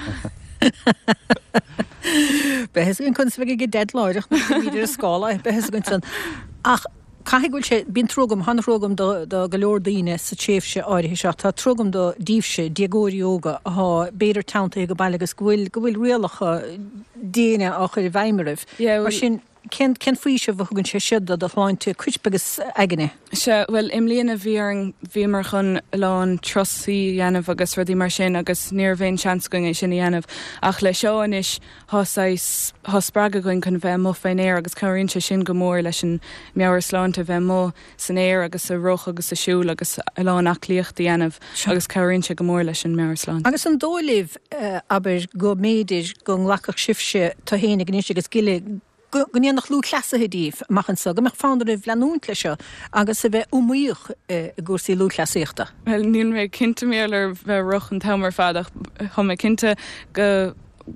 Behes an kun go deadláireach ar scála behes go san ach caithfidh go bhfuil sé bíonn trua agam an-trua agam do do go leor daoine sa tréimhse áirithe seo tá trua agam do daoibhse déagóirí óga atá b'fhéidir teanntaithe go baile agus go bhfuil go bhfuil rialacha diana á chur i bhfeidhm oraibh. Yeah, Mar sin cén cén faoiseamh a thugann sé seo do do shláinte coirp agus aigne. Se well i mbliana bhí an bhíomar chun lán turasaí a dhéanamh agus rudaí mar sin agus ní raibh aon seans againn é sin a dhéanamh ach le seo anois tá tá spreagadh againn chun bheith amuigh faoin aer agus cabhraíonn sé sin go mór leis an meabhairshláinte bheith amuigh san aer agus ag rith agus ag siúl agus a lán aclaíocht a dhéanamh agus cabhraíonn sé go mór leis an meabhairshláinte. Agus an dóigh libh uh, abair go mb'fhéidir go nglacfadh sibhse tú féin anois agus Gille go ndéanfadh lúthchleasaithe díobh amach anseo, go mbeadh fonn oraibh leanúint leis seo agus a bheith iomaíoch i gcúrsaí lúthchleasaíochta. Well níl mé cinnte mé ar bheith rith an t-am ar fad ach tá mé cinnte go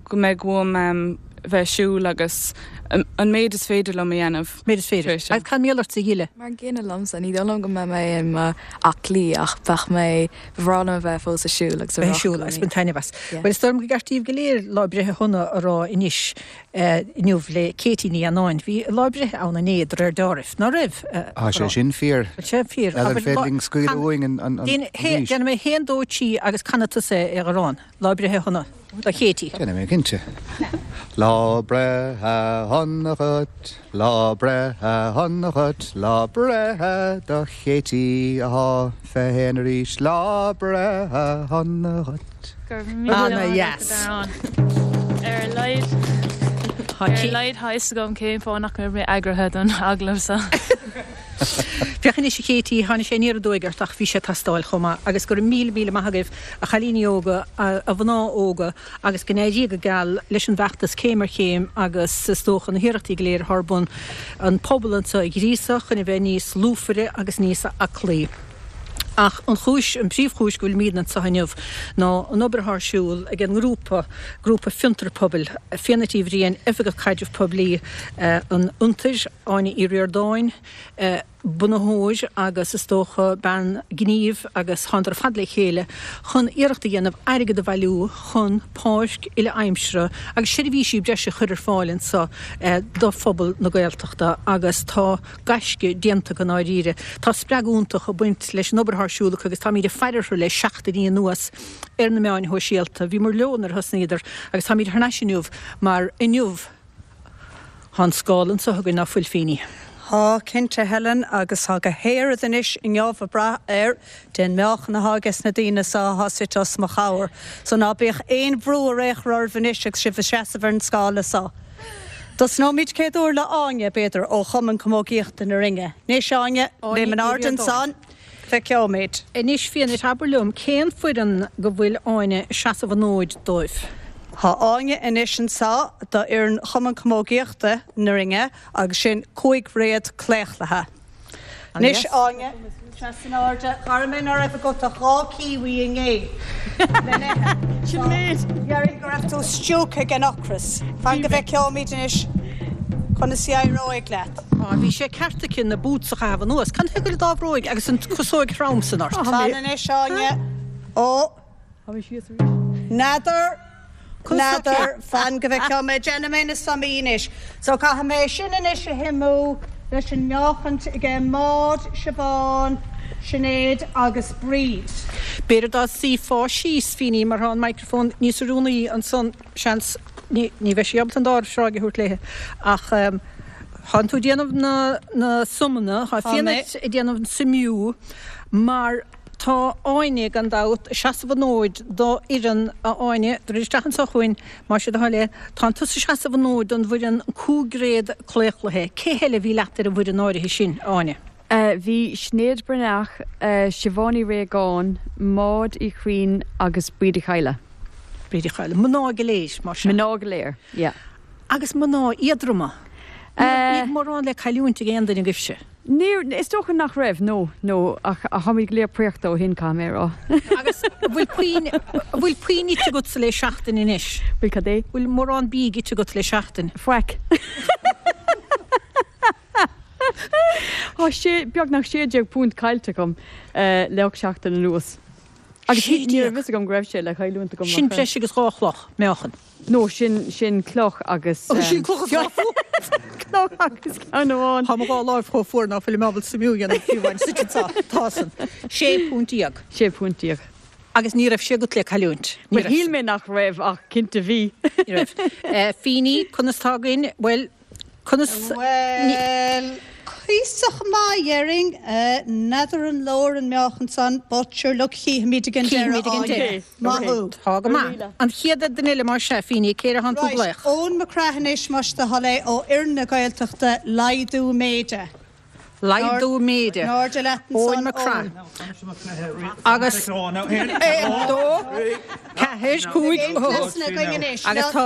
go mbeidh uaim um, bheith siúl agus an méid is féidir liom a dhéanamh. Méid is féidir. Agus cad mar gheall ort a Ghile? Mar an gcéanna liomsa, ní dóigh liom go mbeidh mé i m'aclaí ach bheadh mé, ba bhreá liom a bheith fós ag siúl agus a Bheith ag siúl agus baint taitneamh as. Bhuel is dóigh liom gur ceart daoibh go léir lá breithe shona a rá anois inniu le Katie Ní Annáin. Bhí lá breithe ann inné de réir dealraimh, ná raibh? Tá sé sin fíor. Tá sé fíor. N'fheadar féidir linn scaoileadh uainn an an Déanfaidh mé haon dó trí agus canfaidh tusa é a Dharán. Lá breithe shona do Katie. Déanfaidh mé cinnte. Lá breithe shona dhuit, lá breithe shona dhuit, lá breithe do Katie athá fiche haon arís, lá breithe shona dhuit. Go raibh míle maith agat, a Dharán. Ar a laghad, ar a laghad tá fhios agam cén fáth nach raibh mé eagraithe don agallamh seo. Féach anois a Katie, tháinig sé aniar aduaidh ort ach bhí sé ag teastáil chomh maith agus go raibh míle míle maith agaibh a chailíní óga, a mhná óga agus go n-éirí go geal leis an bhfeachtas céim ar chéim agus is dócha na hiarrachtaí go léir atá ar bun an pobal anseo a ghríosadh chun a bheith níos lúfaire agus níos aclaí. Ach an chúis, an príomhchúis go bhfuilimid anseo inniu ná an obair atá ar siúl ag an ngrúpa, Grúpa Fiontar Pobail, Fiadhnait Uí Bhriain, Oifigeach Caidrimh Poiblí an Fhiontair, Áine Uí Ríordáin, bunaitheoir agus is dócha bean gnímh agus thánadar ar fad le chéile chun iarracht a dhéanamh airgead a bhailiú chun páirc uile-aimsire agus seirbhísí breise a chur ar fáil anseo do phobal na Gaeltachta agus tá gaisce déanta acu i ndáiríre. Tá spreagadh iontach ag baint leis an obair atá ar siúl acu agus táimid ag faire orthu le seachtainí anuas ar na meáin shóisialta. Bhíomar leo nuair a thosnaíodar agus táimid thar n-ais inniu mar inniu tá an scála anseo againn ná fuil Fíní. Tá, cinnte, Helen, agus tá go háirid anois inniu ag brath ar den meáchan atá ages na daoine seo atá suite os mo chomhair. So ná bíodh aon bhrú ar aon chor oraibh anois agus sibh ag seasamh ar an scála seo. Tosnóimid céad uair le Áine, b'fhéidir, ó Chumann Camógaíochta na Rinne. Anois, Áine, léim in airde ansan, feiceoimid. Anois, Fiadhnait, abair liom, cén foireann go bhfuil Áine ag seasamh an fhóid dóibh? Tá Áine anois anseo do fhoireann Chumann Camógaíochta na Rinne agus sin cúig réad claochlaithe. Anois Áine, seas in airde, chara mé ná raibh agat ach dhá kiwi inné le n-ithe. Sin méid. Déarfainn go raibh tú stiúgtha ag an ocras. Fan go bhfeiceoimid anois conas a éireoidh leat. Á, bhí sé ceart aici na boots a chaitheamh anuas. Cad chuige go bhfuil dá bhróig agus an chasóig throm san ort? Fan anois Áine. Ó. N'fheadar. N'fheadar, fan go bhfeicfidh mé, déanfaidh mé na sumaí anois. So caithfidh mé sin anois a shuimiú leis an meáchaint aige Maud, Siobhán, Sinéad agus Bríd. B'fhéidir dá suífeá síos, Fíní, mar tá an microphone níos oiriúnaí ansan, seans, ní bheidh sí ábalta an dá sráid a thabhairt léi, ach tánn tú ag déanamh na na sumanna, tá Fiadhnait ag déanamh an suimiú mar Tá Áine, gan dabht, ag seasamh an fhóid do fhoireann, a Áine, druid isteach anseo chugainn, más é do thoil é. Tánn tusa ag seasamh an fhóid don bhfoireann cúigréad claochlaithe. Cé heile a bhí leat ar an bhfoireann áirithe sin, a Áine? Bhí Sinéad Breathnach, Siobhán Uí Réagáin, Maud Uí Churraoin agus Bríd Uí Chadhla. Bríd Uí Chadhla. Mná go léir, mar sin. Mná go léir, yeah. Agus mná éadroma. Ní raibh mórán le cailliúint ag aon duine agaibhse. Níor, is dócha nach raibh, no, no, ach táimid go léir préachta ó shin, caithfidh mé a rá. Agus an bhfuil puinn, an bhfuil puinn ite agatsa le seachtain anois? Bhfuil cad é? Bhfuil mórán bídh ite agat le seachtain? Faic. Tá sé, beagnach sé déag punt caillte agam le ocht seachtain anuas. Agus Sé ní raibh déag? fhios agam go raibh sé le cailliúint agam Sin ach. breis agus dhá chloch, meáchan. No, sin, sin cloch agus. Ó, sin cloch agus dhá Cloch agus ceann amháin. Tá mo dhá láimh chomh fuar ná fuilim ábalta suimiú a dhéanamh fiú amháin suite anseo. Tá san. Sé phunt déag. Sé phunt déag. Agus ní raibh sé agat le cailliúint. Ní Bhuel, raibh. shíl mé nach raibh ach cinnte bhí. Ní raibh. Fíní, conas tá againn? Bhuel, conas. Bhuel, cuíosach maith, déarfainn. N'fheadar an leor an meáchan san, but sure look, chífimid ag an deireadh, Chífimid ag an Áine. deireadh. Maith thú. Tá go maith. An chéad duine eile mar sea, Fíní, cé air a thánn tú ag Right, glaoch? Eoin Mac Craith anois, más do thoil é, ó Fhoireann na Gaeltachta, laghdú méide. Laghdú méide. In airde leat Eoin ansan, Mac Craith. Eoin. Agus aon, dó, ceathair, cúig, Aon cleasanna againn anois. Agus tá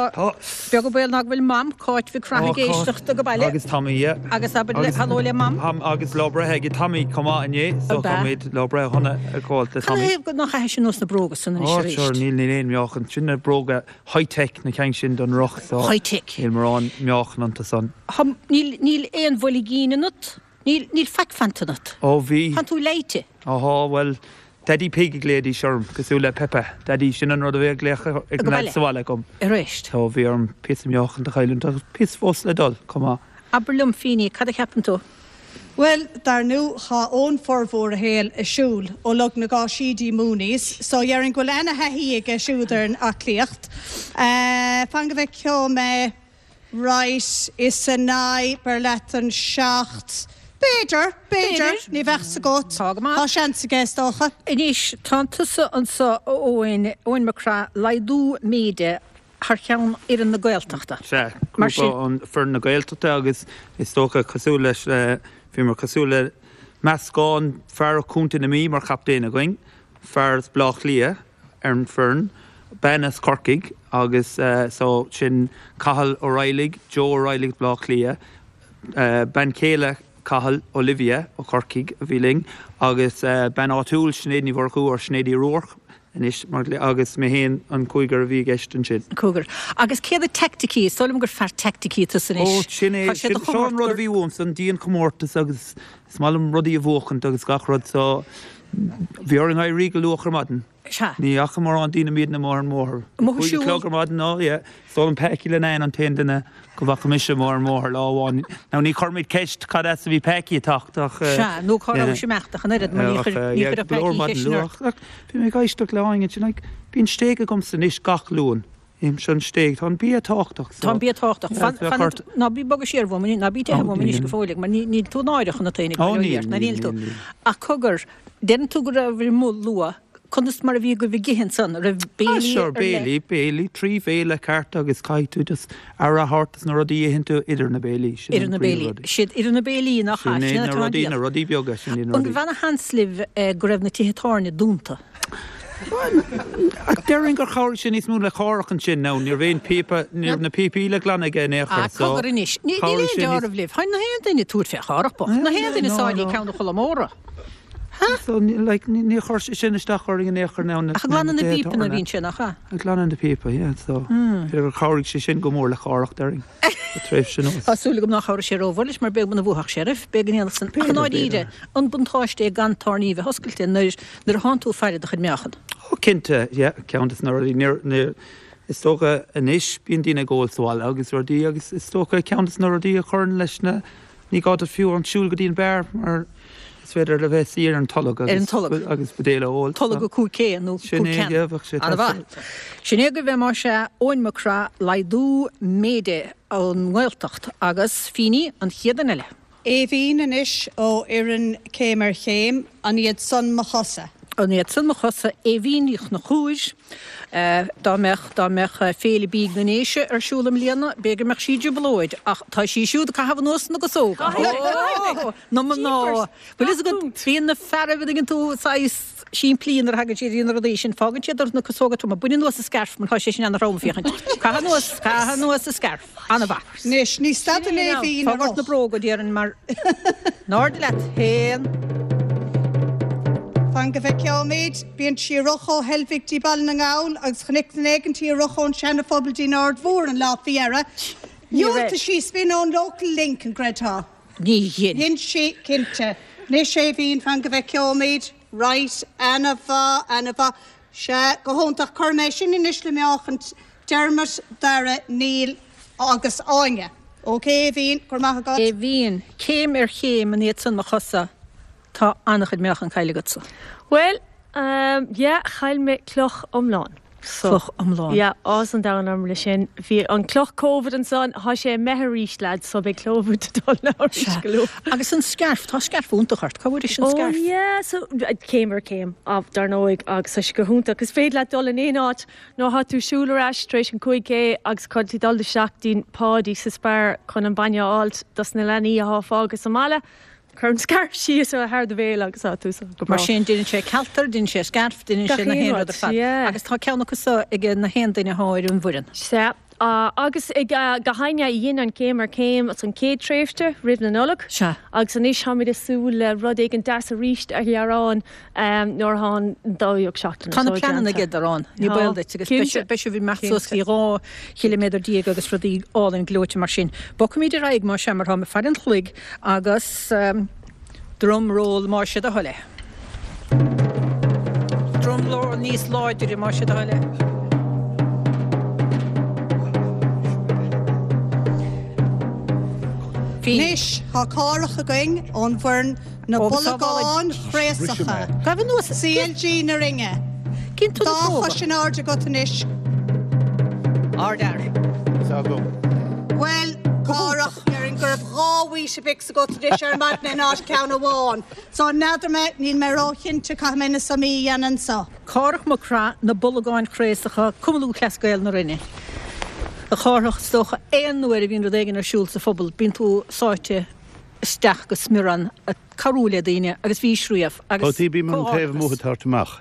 beag an baol ná go bhfuil Mam, Cáit Mhic Craith ag éisteacht ag baile. Agus Tommy, yeah. Agus abair le haló le Mam. Ham agus lá breithe ag Tommy chomh maith inné, so Ab ea? táimid lá breithe shona ag gabháil le Cad Tommy. é go nach chaithfidh sin anuas na bróga san anois Ó, arís? sure, níl níl aon meáchan. Sin na bróga high-tech na ceann sin don roth, so High-tech. Níl mórán meáchan iontu san. Thom, níl níl aon bhoilgín ionat? Níl níl faic fanta ionat? Ó bhí. Tánn tú leáite? Ahá, bhuel, Daddy Pig a ghlaoidís orm, cosúil le Peppa. Daddy, sin an rud a bhí ag glaoch ag Go na baile. sa bhaile agam. Arís. So bhí orm píosa meáchan a chailliúint agus píosa fós le dul, chomh maith. Abair liom, Fíní, cad a cheapann tú? Bhuel, dar ndóigh tá Eoin formhór a shaoil ag siúl ó Log na gCáisí dtí Mooney's, so déarfainn go bhfuil ana-thaithí aige siúd ar an aclaíocht. Uh, fan go bhfeicfidh mé right is a naoi ber leat an seacht. B'fhéidir, b'fhéidir, ní bheadh sa gcót. Tá go maith. Tá seans aige is dócha. Anois, tá tusa anseo Eoin, Eoin Mac Craith, laghdú méide thar cheann fhoireann na Gaeltachta. Sea, Mar grúpa sin- an foireann na Gaeltachta agus is dócha cosúil leis eh, bhíomar cosúil le meascán fear Chontae na Mí mar chaptaen againn, fear as Bleá Cliath ar an foireann, bean as Corcaigh agus uh, so sin Cathal O'Reilly, Joe O'Reilly Bleá Cliath, uh, bean chéile Cathal Olivia ó Corcaigh a bhí linn agus uh, bean áitiúil Sinéad Ní Mhurchú ar Sinéad Uí Ruairc anois mar agus mé féin an cúigear a bhí i gceist ansin. Cúigear. Agus céard a teaicticí, is dóigh liom gur fear teaicticí tusa anois. Ó, sin é, Tá sé do sin- seo an rud a bhí uaim san dianchomórtas agus is maith liom rudaí a bhuachaint agus gach rud so bhí orainn éirí go luath ar maidin. Sea. Ní fhaca mórán daoine míad na mór an mórthir. Amuigh ag Cúig siúl. clog ar maidin ná, yeah. Is dóigh liom Packie Linnane an t-aon duine go bhfaca mise mór an mórthir lá amháin. Now ní chuirfimid ceist cad as a bhí Packie ag teacht ach, eh, Sea, nó cá raibh yeah. sé imeacht an oiread, mar ní Ach, chuir- eh, ní yeah, chuir go leor Packie maidin ceist ort. luath. Ach, Bhí mé ag éisteacht le Áine sin, like, bíonn stéig agamsa anois gach Luan. Im sin stéig, tá an bia tábhachtach. Tá an bia tábhachtach. Yeah, Fan- bheadh fan- ort- Ná bí bogadh siar uaim, ná bí teitheadh Ó, uaim anois níl. go fóill, mar ní- níl tú náireach na taoine Ó, go níl, ná níl, níl tú. níl, níl. Ach cogar, deireann tú go raibh amuigh luath, conas mar a bhí go bhí githin san, raibh Ah, béilí sure, ar leith? béilí, béilí, trí bhéile ceart agus caithfidh tú just aire a thabhairt dos na rudaí a itheann tú idir na béilí. Sin Idir an na príomh béilí. rudaí. Siad idir na béilí nach Sin sin é na atá rudaí, an na rudaí beaga, sin é na An rudaí. raibh ana-sheans libh eh, go raibh na tithe tábhairne dúnta? Ach déarfainn gur chabhraigh sin níos mó le Cárthach ansin ná ní raibh aon píopa, ní raibh na píopaí le glanadh aige in aon chor, Ah, so cogar anois. Ní- Níl chabhraigh aon sin níos- deáramh libh. Tháinig na haon duine tabhairt fé Chárthach bocht. Na haon duine no, sáidí no. ceann de Cholamóra. So, ní- like, ní ní chuir sé sin isteach orainn in aon chor ná na- Ach glanadh na na bpíopanna tábhairne. bhíonn sin, nach ea? Ag glanadh na píopa, yeah, so Hmm. b'fhéidir gur chabhraigh sé sin go mór le Cárthach déarfainn. Tréimhse sin Tá súil agam nach chabhraigh sé rómhór leis mar b'fhéidir go mbuafadh sé oraibh, b'fhéidir go ndéanfadh san. Ach B'fhéidir, ndáiríre, b'fhéidir. an buntáiste é gan tábhairní bheith oscailte nuair nuair a thánn tú ag faire do chuid meáchan. Ó cinnte, yeah, ceann des na rudaí níor- níor- is dócha anois bíonn daoine ag ól sa bhaile agus rudaí agus is dócha ceann des na rudaí a chuireann leis na ní gá duit fiú an siúl go dtí an beár mar is féidir le bheith saor ar an tolg Ar an tolg. agus buidéal a ól. Tolg go cúig cé nó Sin cúig é, ceann. yeah, bheadh sé An-mhaith. Sin é go bheith mar sé Eoin Mac Craith laghdú méide ón nGaeltacht agus Fíní an chéad duine eile. Aoibhín anois ó fhoireann Céim ar Chéim, an iad san mo chosa. An iad san mo chosa Aoibhín Ní Chonchúir, dá mbeadh dá mbeadh Féile Bídh na nDéise ar siúl i mbliana, b'fhéidir go mbeadh sí i dtrioblóid, ach tá sí siúd ag caitheamh anuas na gcasóga. Na mná. Bhfuil fhios agat, bíonn na fearaibh a dtuigeann tú saghas simplí nuair a thagann siad ar na rudaí sin, fágann siad orthu na casóga troma, bain anuas an scairf mar tá sé sin ana-throm féachaint. Caith anuas, caith anuas an scairf. An-mhaith. Anois, ní stadann Aoibhín Fág ort na bróga déarfainn mar in airde leat féin. Fan go bhfeicfimid, bíonn sí ag rith ó Heilbhic dtí Baile na nGall agus chonaic duine éigin í ag rith ón Seana-Phobal dtí an Aird Mhór an lá faoi dheireadh. Dhiúltaigh sí spin ón local link an gcreidfeá. Ní dhein. Dhein sí cinnte. Anois Aoibhín fan go bhfeicfimid, right, ana-mhaith, ana-mhaith. Sea, go hiontach chuir mé sin anois le meáchan Dermot, Dara, Neil agus Áine. Ok, Aoibhín, go raibh maith agat. Aoibhín, céim ar chéim an iad san mo chosa, tá an-chuid meáchan caillte agatsa. Well, um, yeah, chaill mé cloch iomlán. So, Cloch iomlán. Yeah, áthas an domhain orm le sin. Bhí an cloch Covid ansan, tá sé imithe arís lad, so beidh Covid dul na arís go luath. Agus an scairf, tá scairf iontach ort, cá bhfuair sin Oh scairf? yeah, so céim ar chéim ah, dar ndóigh agus tá sé go hiontach. Is féidir leat dul in aon áit nuair atá tú siúl ar ais tar éis an cúig K agus chun tú dul isteach dtí'n Páidí sa Spar chun an bainne a fháilt dos na leanaí atá fágtha sa mbaile. Cuir an scairf síos thar do bhéal agus tá tú go breá. Mar sin déanann sé cealtar, déanann sé scairf, déanann sé na haon rud ar fad. Agus tá ceann acu seo ag na haon duine atá ar an bhfoireann. Sea. Agus ag gach éinne a dhein an céim ar céim as an chéad tréimhse roimh na Nollag. Sea. Agus anois táimid ag súil le rud éigin deas arís a ghearán nuair atá an dóú seachtain Tá na pleananna aige ann, ní baol duit, agus beidh sibh ag imeacht suas go dtí dhá chiliméadar déag agus rudaí álainn gleoite mar sin. Bogfaimid ar aghaidh más ea mar táim ag faire an chloig agus drum roll más é do thoil é. Drum roll níos láidre más é do thoil é. Anois, tá Cárthach againn ón bhfoireann Na Bolgáin Chraosacha. CLG na Rinne. Dá chois in airde agat anois. Ardfhear. Bhuel, Cárthach, déarfainn go raibh dhá Weetabix agat anois ar maidin in áit ceann amháin. So n'fheadar mé, níl mé róchinnte, caithfidh mé na sumaí a dhéanamh anseo. Cárthach Mac Craith, Na Bolgáin Chraosacha, Cumann Lúthchleas Gael na Rinne. A Chárthach, is dócha aon uair a bhíonn rud éigin ar siúl sa phobal, bíonn tú sáite isteach go smior ann ag cabhrú le daoine agus bhís riamh agus Tá, bím an taobh amuigh ag tabhairt amach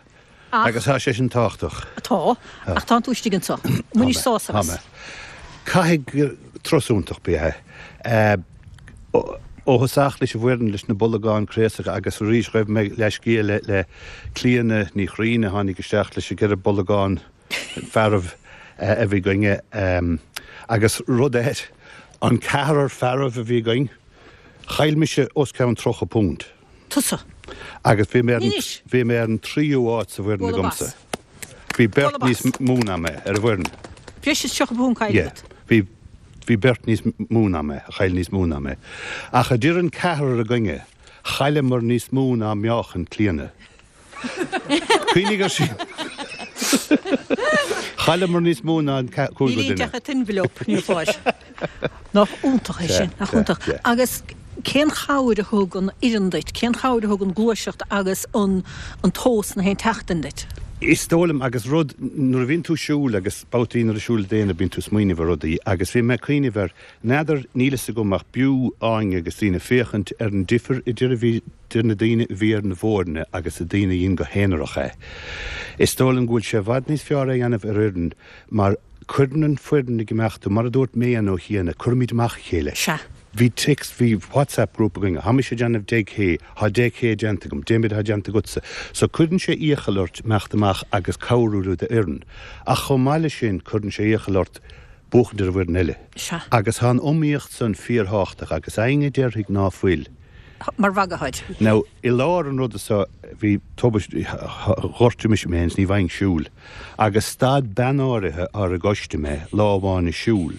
agus tá sé sin tábhachtach. Tá, ach tánn tú istigh anseo. Bainis sásamh as. Tá mé. Caithfidh turas iontach ab ea é. Ó thosach leis an bhfoireann leis na Bolgáin Chraosacha agus arís ghaibh mé leithscéal le le Clíona Ní Chriain a tháinig isteach leis an gceithre bolgán fearaibh a bhí againne agus rud eile, an ceathrar fearaibh a bhí againn, chaill mise os cionn tríocha punt. Tusa? Agus bhí mé ar an, bhí mé ar an tríú áit sa bhfoireann agamsa. Bhí beirt níos mó ná mé ar an bhfoireann. Breis is tríocha punt caillte agat? Bhí, bhí beirt níos mó ná mé, a chaill níos mó ná mé. Ach idir an ceathrar againne, chailleamar níos mó ná meáchan Clíona. Cuimhnigh air sin. Chailleamar níos mó ná an cúigear Níl duine. aon deich envelope níor fáil. Nach iontach é sin, nach iontach. Agus cén chabhair a thug an fhoireann duit, cén chabhair a thug an ghluaiseacht agus an an tomhas na haon tseachtain duit? Is dóigh liom, agus rud, nuair a bhíonn tú ag siúl agus babhtaí nuair a siúl daoine bíonn tú ag smaoineamh ar rudaí agus bhí mé ag cuimhneamh ar, n'fheadar, níl fhios agam ach b'fhiú Áine agus daoine féachaint ar an difear idir a bhí idir na daoine a bhí ar na bhfoirne agus na daoine a dhein go haonarach é. Is dóigh liom go bhfuil sé i bhfad níos fearr é a dhéanamh ar fhoireann mar cuireann an foireann ag imeacht tú, mar a dúirt Méan Ó Chiana, cuirimid amach a chéile. Sea. Bhí text, bhí WhatsApp group againn, tá mise ag déanamh deich K, tá deich K déanta agam, cé mhéad atá déanta agatsa. So cuireann sé iachall ort imeacht amach agus cabhrú le d'fhoireann. Ach chomh maith leis sin cuireann sé iachall ort buachaint ar an bhfoireann eile. Sea. Agus tá an iomaíocht san fíorthábhachtach agus éinne a déarfaidh ná fuil. Mar mhagadh. Now, i lár an ruda so, bhí tubaiste, ghortaigh mise mé féin is ní bhfaighinn siúl. Agus stad bean áirithe ar an gcoiste mé lá amháin ag siúl.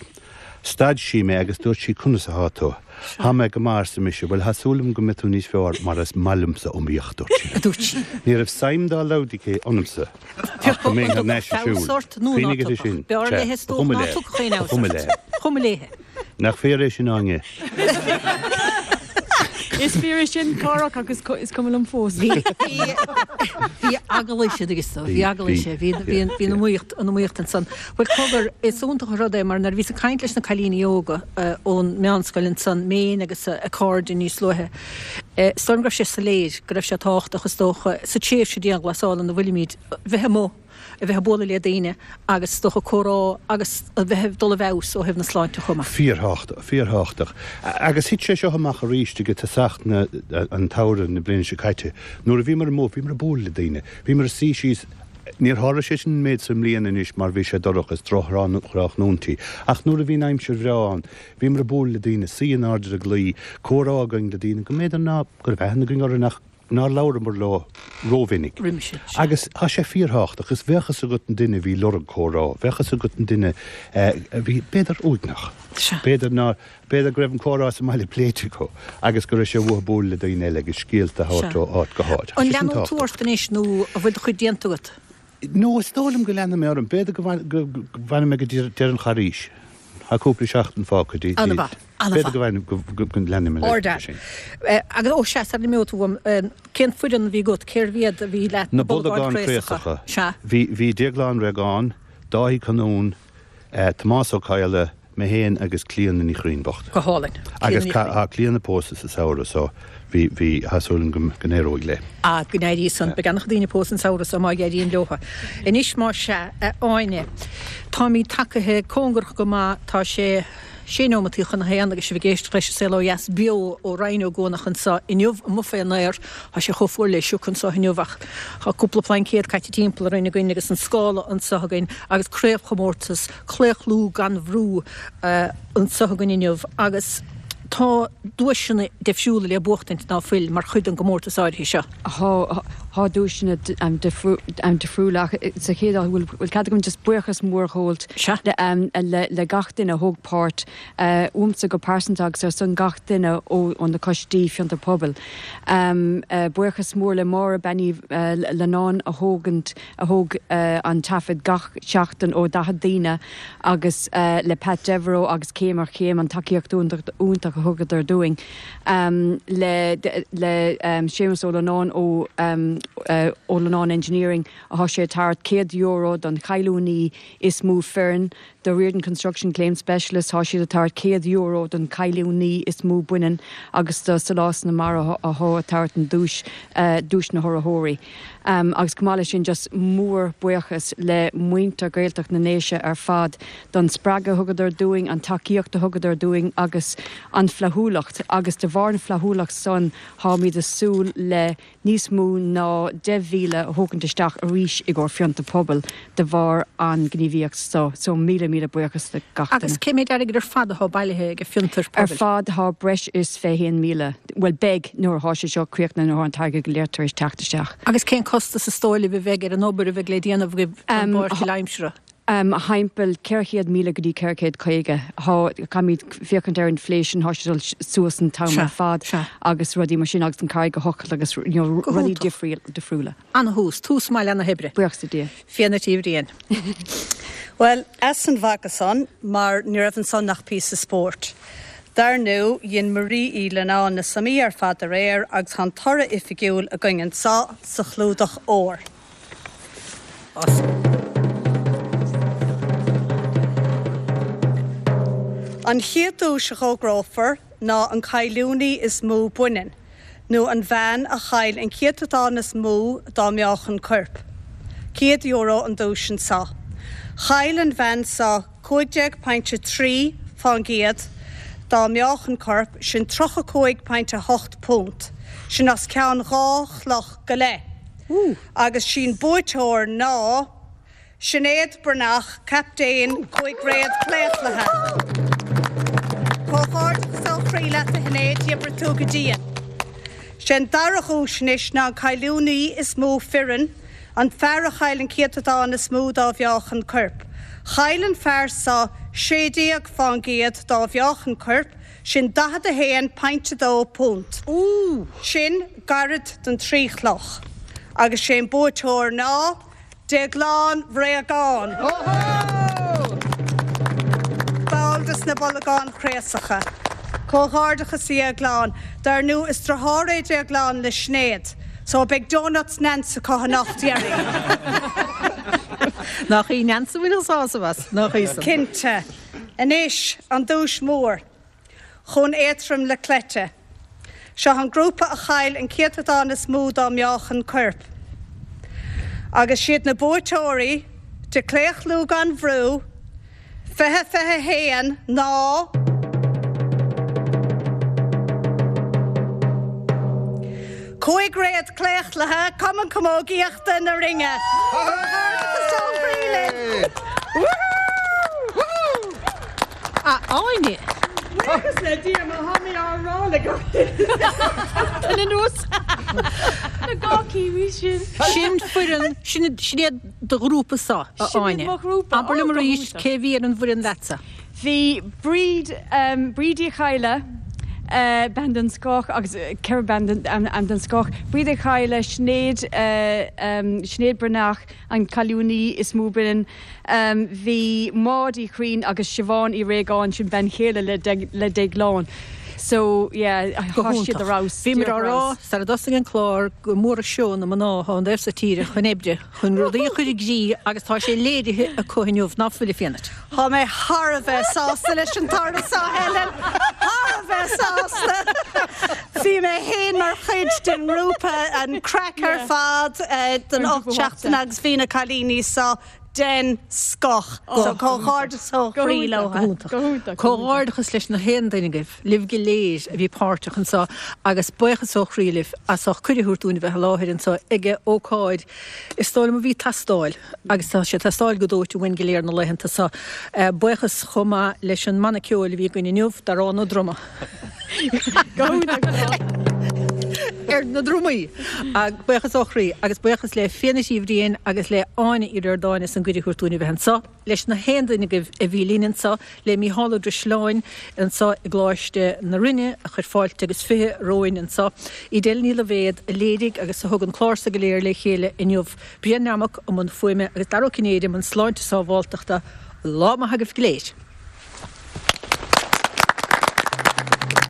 Stad sí mé agus dúirt sí conas athá tú? Thá mé go maith arsa mise, bhuel thá súil agam go mbeidh tú níos fearr mar is maith liomsa iomaíocht, dúirt sí. A dúirt sí. Ní raibh suim dá laghad aici ionamsa ach go mbeinn thar n-ais ag siúl. Feabhas ort nó ná Cuimhnigh uirthi tugadh. sin. B'fhearr Sea, léithe is ba dócha chuma ná léi. tugadh aon Ba chuma fheabhas ort. léi. Chuma léi. Nach fíor é sin Áine? Is fíor é sin Cárthach agus is cuma liom fós. Bhí bhí eagla siad agus tú, bhí eagla sé, bhí bhí bhí an iomaíocht an iomaíocht ansan. Bhuel cogar is iontach an rud é mar nuair a bhíos ag caint leis na cailíní óga ón meánscoil ansan, Méin agus a cairde níos luaithe, is dóigh liom go raibh sé soiléir go raibh sé tábhachtach is dócha sa tréimhse dianghlasála ina bhfuilimid bheith amuigh a bheith ag bualadh le daoine agus is dócha comhrá agus a bheith ag dul i bhfeabhas ó thaobh na sláinte chomh maith. Fíorthábhachtach, fíorthábhachtach. Agus thit sé seo amach arís ag tosach na, an tsamhraidh na bliana seo caite. Nuair a bhíomar amuigh, bhíomar ag bualadh le daoine. Bhíomar ag suí síos, níor tharla sé sin an méid sa mbliana anois mar bhí sé dorcha is drochthráthnóintí. Ach nuair a bhí an aimsir bhreá ann, bhíomar ag bualadh le daoine, suí in airde ar an gclaí, comhrá againn le daoine go mb'fhéidir ná go raibh aithne againn orthu nach nár labhramar leo rómhinic. Roimhe sin, sea. Agus tá sé fíorthábhachtach, agus bheadh fhios agat an duine a bhí lorg comhrá, bheadh fhios agat an duine a bhí, b'fhéidir, uaigneach. Sea. B'fhéidir nár, b'fhéidir go raibh an comhrá sa mbaile pléite acu agus go raibh sé uathu bualadh le daoine eile agus scéalta a thabhairt Sea. ó áit go háit. Tá An sé sin leanann tú tábhachtach. ort anois nó an bhfuil do chuid déanta agat? No, is dóigh liom go leanfaidh mé orm. B'fhéidir go bhfanfaidh mé go deireadh an Charghais. Tá cúpla seachtain fágtha. An-mhaith, an-mhaith. B'fhéidir go bhfanfaidh, go leanfaidh mé leis sin. Agus ó sea, sara n-imeoidh tú uaim, cén foireann a bhí agat? Cérbh iad a bhí leat? Na Bolgáin Chraosacha. Sea. Bhí, bhí Déaglán Regan, Dáithí Conún, Tomás Ó Cadhla, Mé féin agus Clíona Ní Churraoin bocht. Go hálainn. Agus tá Clíona pósta sa samhradh so bhí bhí tá súil agam go n-éireoidh léi. Ah, go n-éirí san. Beidh an-chuid daoine pósta an samhradh so má éiríonn leo. Anois más ea, a Áine, táimid tagaithe cóngarach go maith, tá sé sé nóimeataí chun a haon agus sibh ag éisteacht leis an Saol Ó Dheas beo ó Rinn Ó gCuanach anseo inniu amuigh fén aer. Tá sé chomh fuar le sioc anseo inniu ach tá cúpla plaincéad caite timpeall orainn againn agus an scála anseo againn agus craobhchomórtas Claochlú gan Bhrú anseo againn inniu agus tá duaiseanna difriúla le buachtaint ná fuil mar chuid den gcomórtas áirithe seo. Tá tá duaiseanna difriúla ach sa chéad áit bhfuil bhfuil cead agam just buíochas mór a ghabháilt le le gach duine a thóg páirt uaimse go pearsanta agus ar son gach duine ó ó na coistí fiontar pobail. Buíochas mór le Máire Bean Uí Leannáin a thógant a thóg an taifead gach seachtain ó daichead daoine agus le Pat Devereux agus Céim ar Chéim an tacaíocht iontach a thugadar dúinn le le Séamus Ó Leannáin ó Ó Leannáin Engineering atá sé ag tabhairt céad euro don chailliúnaí is mó fireann do Riordan Construction Claim Specialist tá siad ag tabhairt céad euro don chailliúnaí is mó baineann agus do Sólás na Mara atá ag tabhairt an duais duais na hurraitheoirí. Agus chomh maith leis sin just mór buíochas le muintir Gaeltacht na nDéise ar fad don spreagadh a thugadar dúinn, an tacaíocht a thugadar dúinn agus an flaithiúlacht agus de bharr na flaithiúlacht san táimid ag súil le níos mó ná deich mhíle a thógaint isteach arís i gcomhair Fiontar Pobail de bharr an gníomhaíocht so. So míle míle buíochas le gach duine. Agus cé méid airgid ar fad atá bailithe ag Fiontar Ar Pobail? fad tá breis is fiche haon míle, bhuel beidh nuair atá sé seo críochnaithe nuair atá an t-airgead go léir tar éis teacht isteach. Agus cén costas is dóigh libh a bheidh ar an obair a bheidh le déanamh agaibh don bpáirc aimsire? Thimpeall ceithre chéad míle go dtí ceithre chéad caoga. Tá, caithfimid féachaint ar inflation, tá sé dul suas an t-am ar fad agus rudaí mar sin agus an carraig a thochailt agus you know, rudaí difriúla. Ana-thús, tús maith le na hoibre. Buíochas le Dia. Fianna Tí Bhriain. Bhuel, as an bhaga san, mar ní raibh ansan ach píosa spóirt. Dar ndú, dhein Marie Uí Leannáin na suimeanna ar fad aréir agus tá an toradh oifigiúil againn anso sa chlúdach óir. An chéad duais a fhógrófar ná an cailliúnaí is mó baineann, nó an bhean a chaill an céatadán is mó dá meáchan coirp. Céad euro an duais anso. Chaill an bhean seo cúig déag pointe trí fán gcéad dá meáchan coirp, sin tríocha cúig pointe hocht punt, sin os cionn dhá chloch go leith. Agus sí'n buaiteoir ná Sinéad Breathnach, captaen Cúig Réad Claochlaithe. Comhghairdeachas ó chroí leat a Shinéad, d'oibrigh tú go dian. Sé'n dara dhuais anois ná an cailliúnaí is mó fireann, an fear a chaill an céatadán is mó dá mheáchan coirp. Chaill an fear seo sé déag fán gcéad dá mheáchan coirp, sin daichead a haon pointe dó punt. Sin gairid don trí chloch. Agus sé'n buaiteoir ná Déaglán Bhréagán. Ball des na Bolgáin Chraosacha. Comhghairdeachas a Dhéagláin, dar ndú is deartháir é Déaglán le Sinéad. So beidh donuts Nance acu anocht deiridh. Nach í Nance a bhfuil an sásamh as, nach í san. Cinnte. Anois, an duais mhór. Chomh éadrom le cleite. Seo an grúpa a chaill an céatadán is mó dá meáchan coirp. Agus siad na buaiteoirí de Claochlú gan Bhrú, fiche fiche haon ná Cúig Réad Claochlaithe, Cumann Camógaíochta na Rinne. Comhghairdeachas ó chroí libh! A Áine! Buíochas le Dia má tá mé á rá le gach duine. Anuas. Na dhá cinn sin. Sin foireann, sin sin iad do ghrúpa sa, a Sin iad Áine. mo ghrúpa. Abair liom Ó, go arís hiontach. cé bhí ar an bhfoireann leatsa. Bhí Bríd, um, Bríd Uí Chadhla, uh, bean den scoth agus uh, ceithre bean den, um, um, den scoth. Bríd Uí Chadhla, Sinéad, uh, um, Sinéad Breathnach, an cailliúnaí is mó baineann. Um, bhí Maud Uí Churraoin agus Siobhán Uí Réagáin, sin bean chéile le, De, le Déaglán. So yeah, tá siad ar fheabhas. Bhí á rá sar a dtosaigh an clár gur mór an seó na mná atá ón dtaobh so tíre chun oibre, chun rudaí a chur i gcrích agus tá sé léirithe acu inniu ná fuil a Fiadhnait. Tá mé thar a bheith sásta leis an toradh seo Helen, thar a bheith sásta. Bhí mé féin mar chuid den ngrúpa an craic ar fad den ocht seachtain agus bhí na cailíní seo den scoth. So comhghairdeas ó chroí leo. Comhghairdeachas leis na haon duine agaibh, libh go léir a bhí páirteach anseo agus buíochas ó chroí libh as ucht cuireadh a thabhairt dúinn a bheith i láthair anseo ag ócáid is dóigh liom a bhí ag teastáil agus tá sé ag teastáil go dóite uainn go léir na laethanta seo. Buíochas chomh maith leis an mbanna ceoil a bhí againn inniu, Darán Ó Droma. Ar na drumaí. Buíochas ó chroí agus buíochas le Fiadhnait Uí Bhriain agus le Áine Uí Ríordáin as an gcuireadh a thabhairt dúinn a bheith anseo, leis na haon duine agaibh a bhí linn anseo, le Mícheál Ó Drisleáin anseo i gColáiste na Rinne a chuir fáilte agus fiche romhainn anseo, Edel Ní Loibhéad a léirigh agus a thug an clár seo go léir le chéile inniu, Brian Nammock i mbun fuaime agus Dara Ó Cinnéide i mbun sláinte sábháilteachta. Lá maith agaibh go léir.